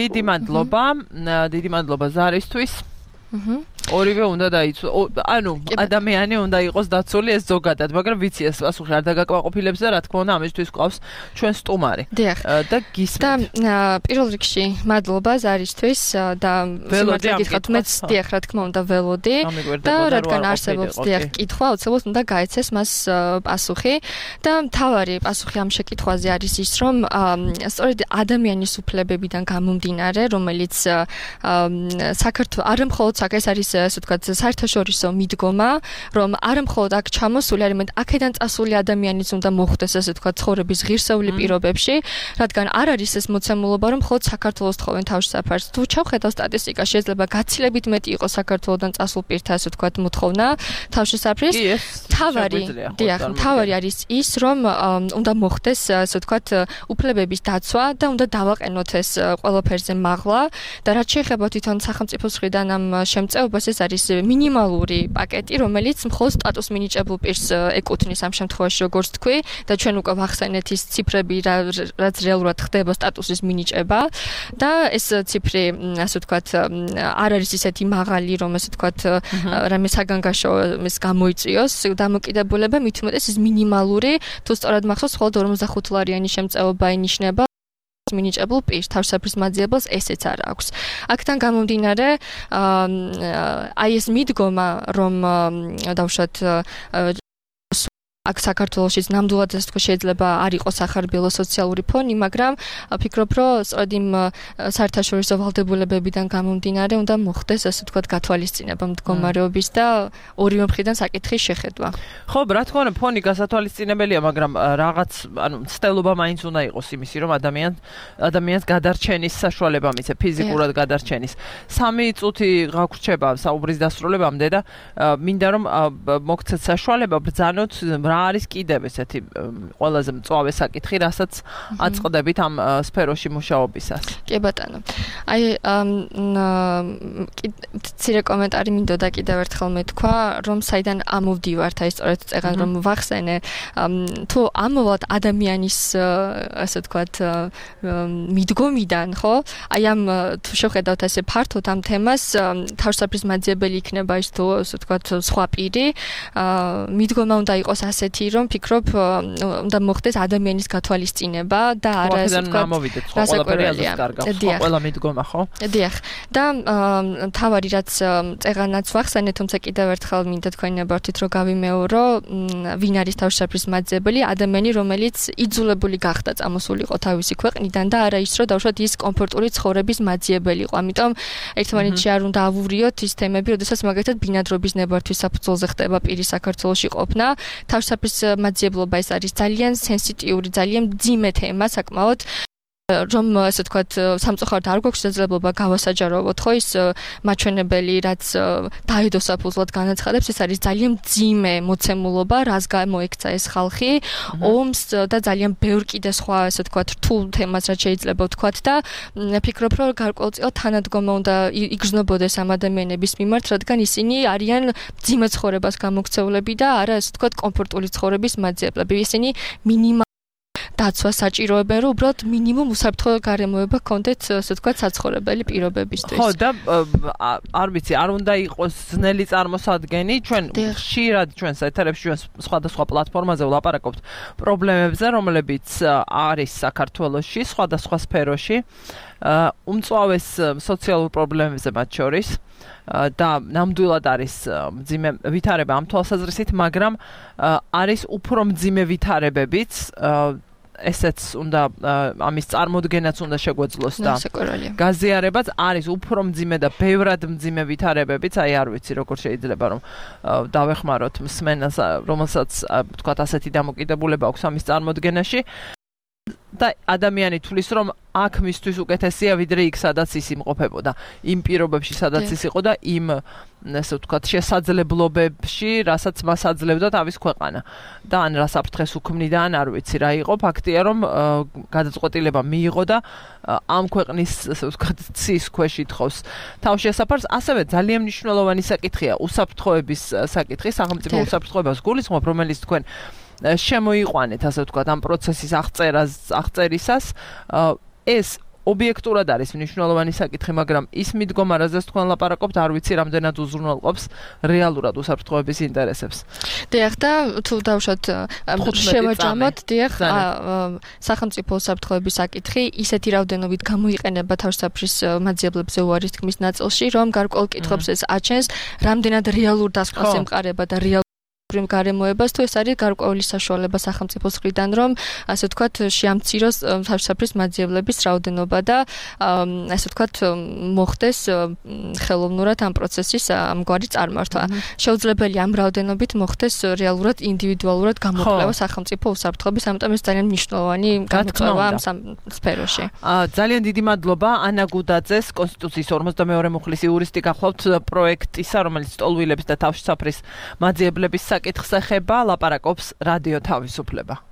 დიდი მადლობა. დიდი მადლობა ზარისთვის. აჰა. ორივე უნდა დაიცვა. ანუ ადამიანი უნდა იყოს დაცული ეს ზოგადად, მაგრამ ვიცი ეს პასუხი არ დაგაკმაყოფილებს და რა თქმა უნდა ამისთვის ყავს ჩვენ სტუმარი. და გისმენთ. და პირველ რიგში მადლობა ზარისთვის და სიმართლე გითხრათ მეც დიახ რა თქმა უნდა ველოდი და რადგან არსებობს დიახ კითხვა, უცებოდ უნდა გაეცეს მას პასუხი და მთავარი პასუხი ამ შეკითხვაზე არის ის, რომ სწორედ ადამიანის უფლებებიდან გამომდინარე, რომელიც საქართველოს არ მხოლოდ ეს არის ასე ვთქვათ საერთაშორისო მიდგომა, რომ არ მხოლოდ აქ ჩამოსული, არამედ აქედან წასული ადამიანიც უნდა მოხვდეს ასე ვთქვათ ცხოვრების ღირსეული პირობებში, რადგან არ არის ეს მოცემულობა, რომ მხოლოდ საქართველოს თხოვენ თავშესაფარს. თუ ჩავხედავ სტატისტიკას, შეიძლება გაცილებით მეტი იყოს საქართველოსდან წასულ პირთა ასე ვთქვათ მოთხოვნა თავშესაფრის. თავარი, დიახ, თავარი არის ის, რომ უნდა მოხდეს ასე ვთქვათ უფლებების დაცვა და უნდა დავაყენოთ ეს ყველაფერზე მაღლა და რაც შეეხება თვითონ სახელმწიფოს მხრიდან ამ შემწეობას ეს არის მინიმალური პაკეტი, რომელიც მხოლოდ სტატუს მინიჭებულ პირს ეკუთვნის ამ შემთხვევაში, როგორც თქვი, და ჩვენ უკვე ვახსენეთ ის ციფრები, რაც რეალურად ხდება სტატუსის მინიჭება და ეს ციფრი, ასე ვთქვათ, არ არის ისეთი მაღალი, რომ ასე ვთქვათ, რამე საგანგაშო ეს გამოიწვიოს დამოკიდებულება, მით უმეტეს ის მინიმალური, თუ სწორად მახსოვს, მხოლოდ ორმოცდახუთ ლარიანი შემწეობა ინიშნება მინიჭებულ პირს, თავშესაფრის მაძიებელს ესეც არ აქვს. აქთან გამომდინარე, აი ეს მიდგომა, რომ დავუშვათ აქ საქართველოშიც ნამდვილად ასე თქვა შეიძლება არ იყოს ახარბიელო სოციალური ფონი, მაგრამ ფიქრობ, რომ სწორედ იმ საერთაშორისო ვალდებულებებიდან გამომდინარე უნდა მოხდეს ასე თქვა გათვალისწინება მდგომარეობის და ორივე მხრიდან საკითხის შეხედვა. ხო, რა თქმა უნდა, ფონი გასათვალისწინებელია, მაგრამ რაღაც, ანუ ცდელობა მაინც უნდა იყოს იმისი, რომ ადამიან ადამიანს გადარჩენის საშუალება მიცე, ფიზიკურად გადარჩენის. სამი წუთი გაგვრჩება საუბრის დასრულებამდე და მინდა რომ მოგცეთ საშუალება ბრძანოთ რა არის კიდევ ესეთი ყველაზე მწვავე საკითხი, რასაც აწყდებით ამ სფეროში მუშაობისას. კი ბატონო. აი მცირე კომენტარი მინდოდა კიდევ ერთხელ მეთქვა, რომ საიდან ამოვდივართ, აი სწორედ წეგან რომ ვახსენე, თუ ამოვალთ ადამიანის ასე ვთქვათ მიდგომიდან, ხო? აი ამ თუ შევხედავთ ასე ფართოდ ამ თემას, თავშესაფრის მაძიებელი იქნება ის თუ ასე ვთქვათ სხვა პირი, მიდგომა უნდა იყოს ასეთი, რომ ფიქრობ უნდა მოხდეს ადამიანის გათვალისწინება და არა ასე ვთქვათ რასაკვირველია. ყველა მიდგომა, ხო? დიახ. და თავარი რაც წეგანაც ვახსენე, თუმცა კიდევ ერთხელ მინდა თქვენებართით რომ გავიმეორო, ვინ არის თავშესაფრის მაძიებელი, ადამიანი, რომელიც იძულებული გახდა წამოსულიყო თავისი ქვეყნიდან და არა ის, რომ დავუშვათ ის კომფორტული ცხოვრების მაძიებელი იყო. ამიტომ ერთმანეთში არ უნდა ავურიოთ ის თემები, როდესაც მაგალითად ბინადრობის ნებართვის საფუძველზე ხდება პირის საქართველოში ყოფნა. თავშესაფრის მაძიებლობა ეს არის ძალიან სენსიტიური, ძალიან მძიმე თემა საკმაოდ, რომ ასე ვთქვათ, სამწუხაროდ არ გვაქვს შესაძლებლობა გავასაჯაროვოთ, ხო ის მაჩვენებელი, რაც დაედო საფუძვლად განაცხადებს, ეს არის ძალიან მძიმე მოცემულობა, რას გამოექცა ეს ხალხი, ომს და ძალიან ბევრ კიდე სხვა ასე ვთქვათ, რთულ თემას, რაც შეიძლება ვთქვათ და ფიქრობ, რომ გარკვეულწილად თანადგომა უნდა იგრძნობოდეს ამ ადამიანების მიმართ, რადგან ისინი არიან მძიმე ცხოვრებას გამოქცეულები და არა ასე ვთქვათ, კომფორტული ცხოვრების მაძიებლები. ისინი მინიმალ დაცვა საჭიროებენ, რომ უბრალოდ მინიმუმ უსაფრთხო გარემოება ჰქონდეთ, ასე ვთქვათ, საცხოვრებელი პირობებისთვის. ხო, და არ ვიცი, არ უნდა იყოს ძნელი წარმოსადგენი, ჩვენ ხშირად ჩვენს ეთერებში ჩვენ სხვადასხვა პლატფორმაზე ვლაპარაკობთ პრობლემებზე, რომლებიც არის საქართველოში, სხვადასხვა სფეროში. უმწვავეს სოციალურ პრობლემებზე მათ შორის და ნამდვილად არის მძიმე ვითარება ამ თვალსაზრისით, მაგრამ არის უფრო მძიმე ვითარებებიც, ესეც უნდა ამის წარმოდგენაც უნდა შეგვეძლოს და გაზიარებაც არის უფრო მძიმე და ბევრად მძიმე ვითარებებიც, აი არ ვიცი როგორ შეიძლება რომ დავეხმაროთ მსმენელს, რომელსაც თქვათ ასეთი დამოკიდებულება აქვს ამის წარმოდგენაში. და ადამიანი თulis რომ აქ მისთვის უკეთესია ვიდრე იქ სადაც ის იმყოფებოდა იმ პირობებში სადაც ის იყო და იმ ასე ვთქვათ შესაძლებლობებში რასაც მას აძლევდა თავის ქვეყანა და ან რა საფრთხეს უქმნიდა ან არ ვიცი რა იყო ფაქტია რომ გადაწყვეტილება მიიღო და ამ ქვეყნის ასე ვთქვათ ცის ქვეშ ითხოვს თავშესაფარს ასევე ძალიან მნიშვნელოვანი საკითხია უსაფრთხოების საკითხი სახელმწიფო უსაფრთხოებას გულისხმობ რომელიც თქვენ შემოიყვანეთ ასე ვთქვათ ამ პროცესის აღწერას აღწერისას ეს ობიექტურად არის მნიშვნელოვანი საკითხი მაგრამ ის მიდგომა რაზეც თქვენ ლაპარაკობთ არ ვიცი რამდენად უზრუნველყოფს რეალურად უსაფრთხოების ინტერესებს. დიახ და თუ დავუშვათ შევაჯამოთ დიახ სახელმწიფო უსაფრთხოების საკითხი ისეთი რაოდენობით გამოიყენება თავშესაფრის მაძიებლებზე უარის თქმის ნაწილში რომ გარკვეულ კითხვებს ეს აჩენს რამდენად რეალურ დასკვნას ემყარება და რეალ გარემოებას თუ ეს არის გარკვეული საშუალება სახელმწიფოს მხრიდან რომ ასე ვთქვათ შეამციროს თავშესაფრის მაძიებლების რაოდენობა და ასე ვთქვათ მოხდეს ხელოვნურად ამ პროცესის ამგვარი წარმართვა. შეუძლებელია ამ რაოდენობით მოხდეს რეალურად ინდივიდუალურად გამოკვლევა სახელმწიფო უსაფრთხოების, ამიტომ ეს ძალიან მნიშვნელოვანი გამოკვლევა ამ სფეროში. ძალიან დიდი მადლობა ანა გუდაძეს კონსტიტუციის ორმოცდამეორე მუხლის იურისტი გახლავთ პროექტისა რომელიც ტოლვილების და თავშესაფრის მაძიებლების საკითხს ეხება, ლაპარაკობს რადიო თავისუფლება.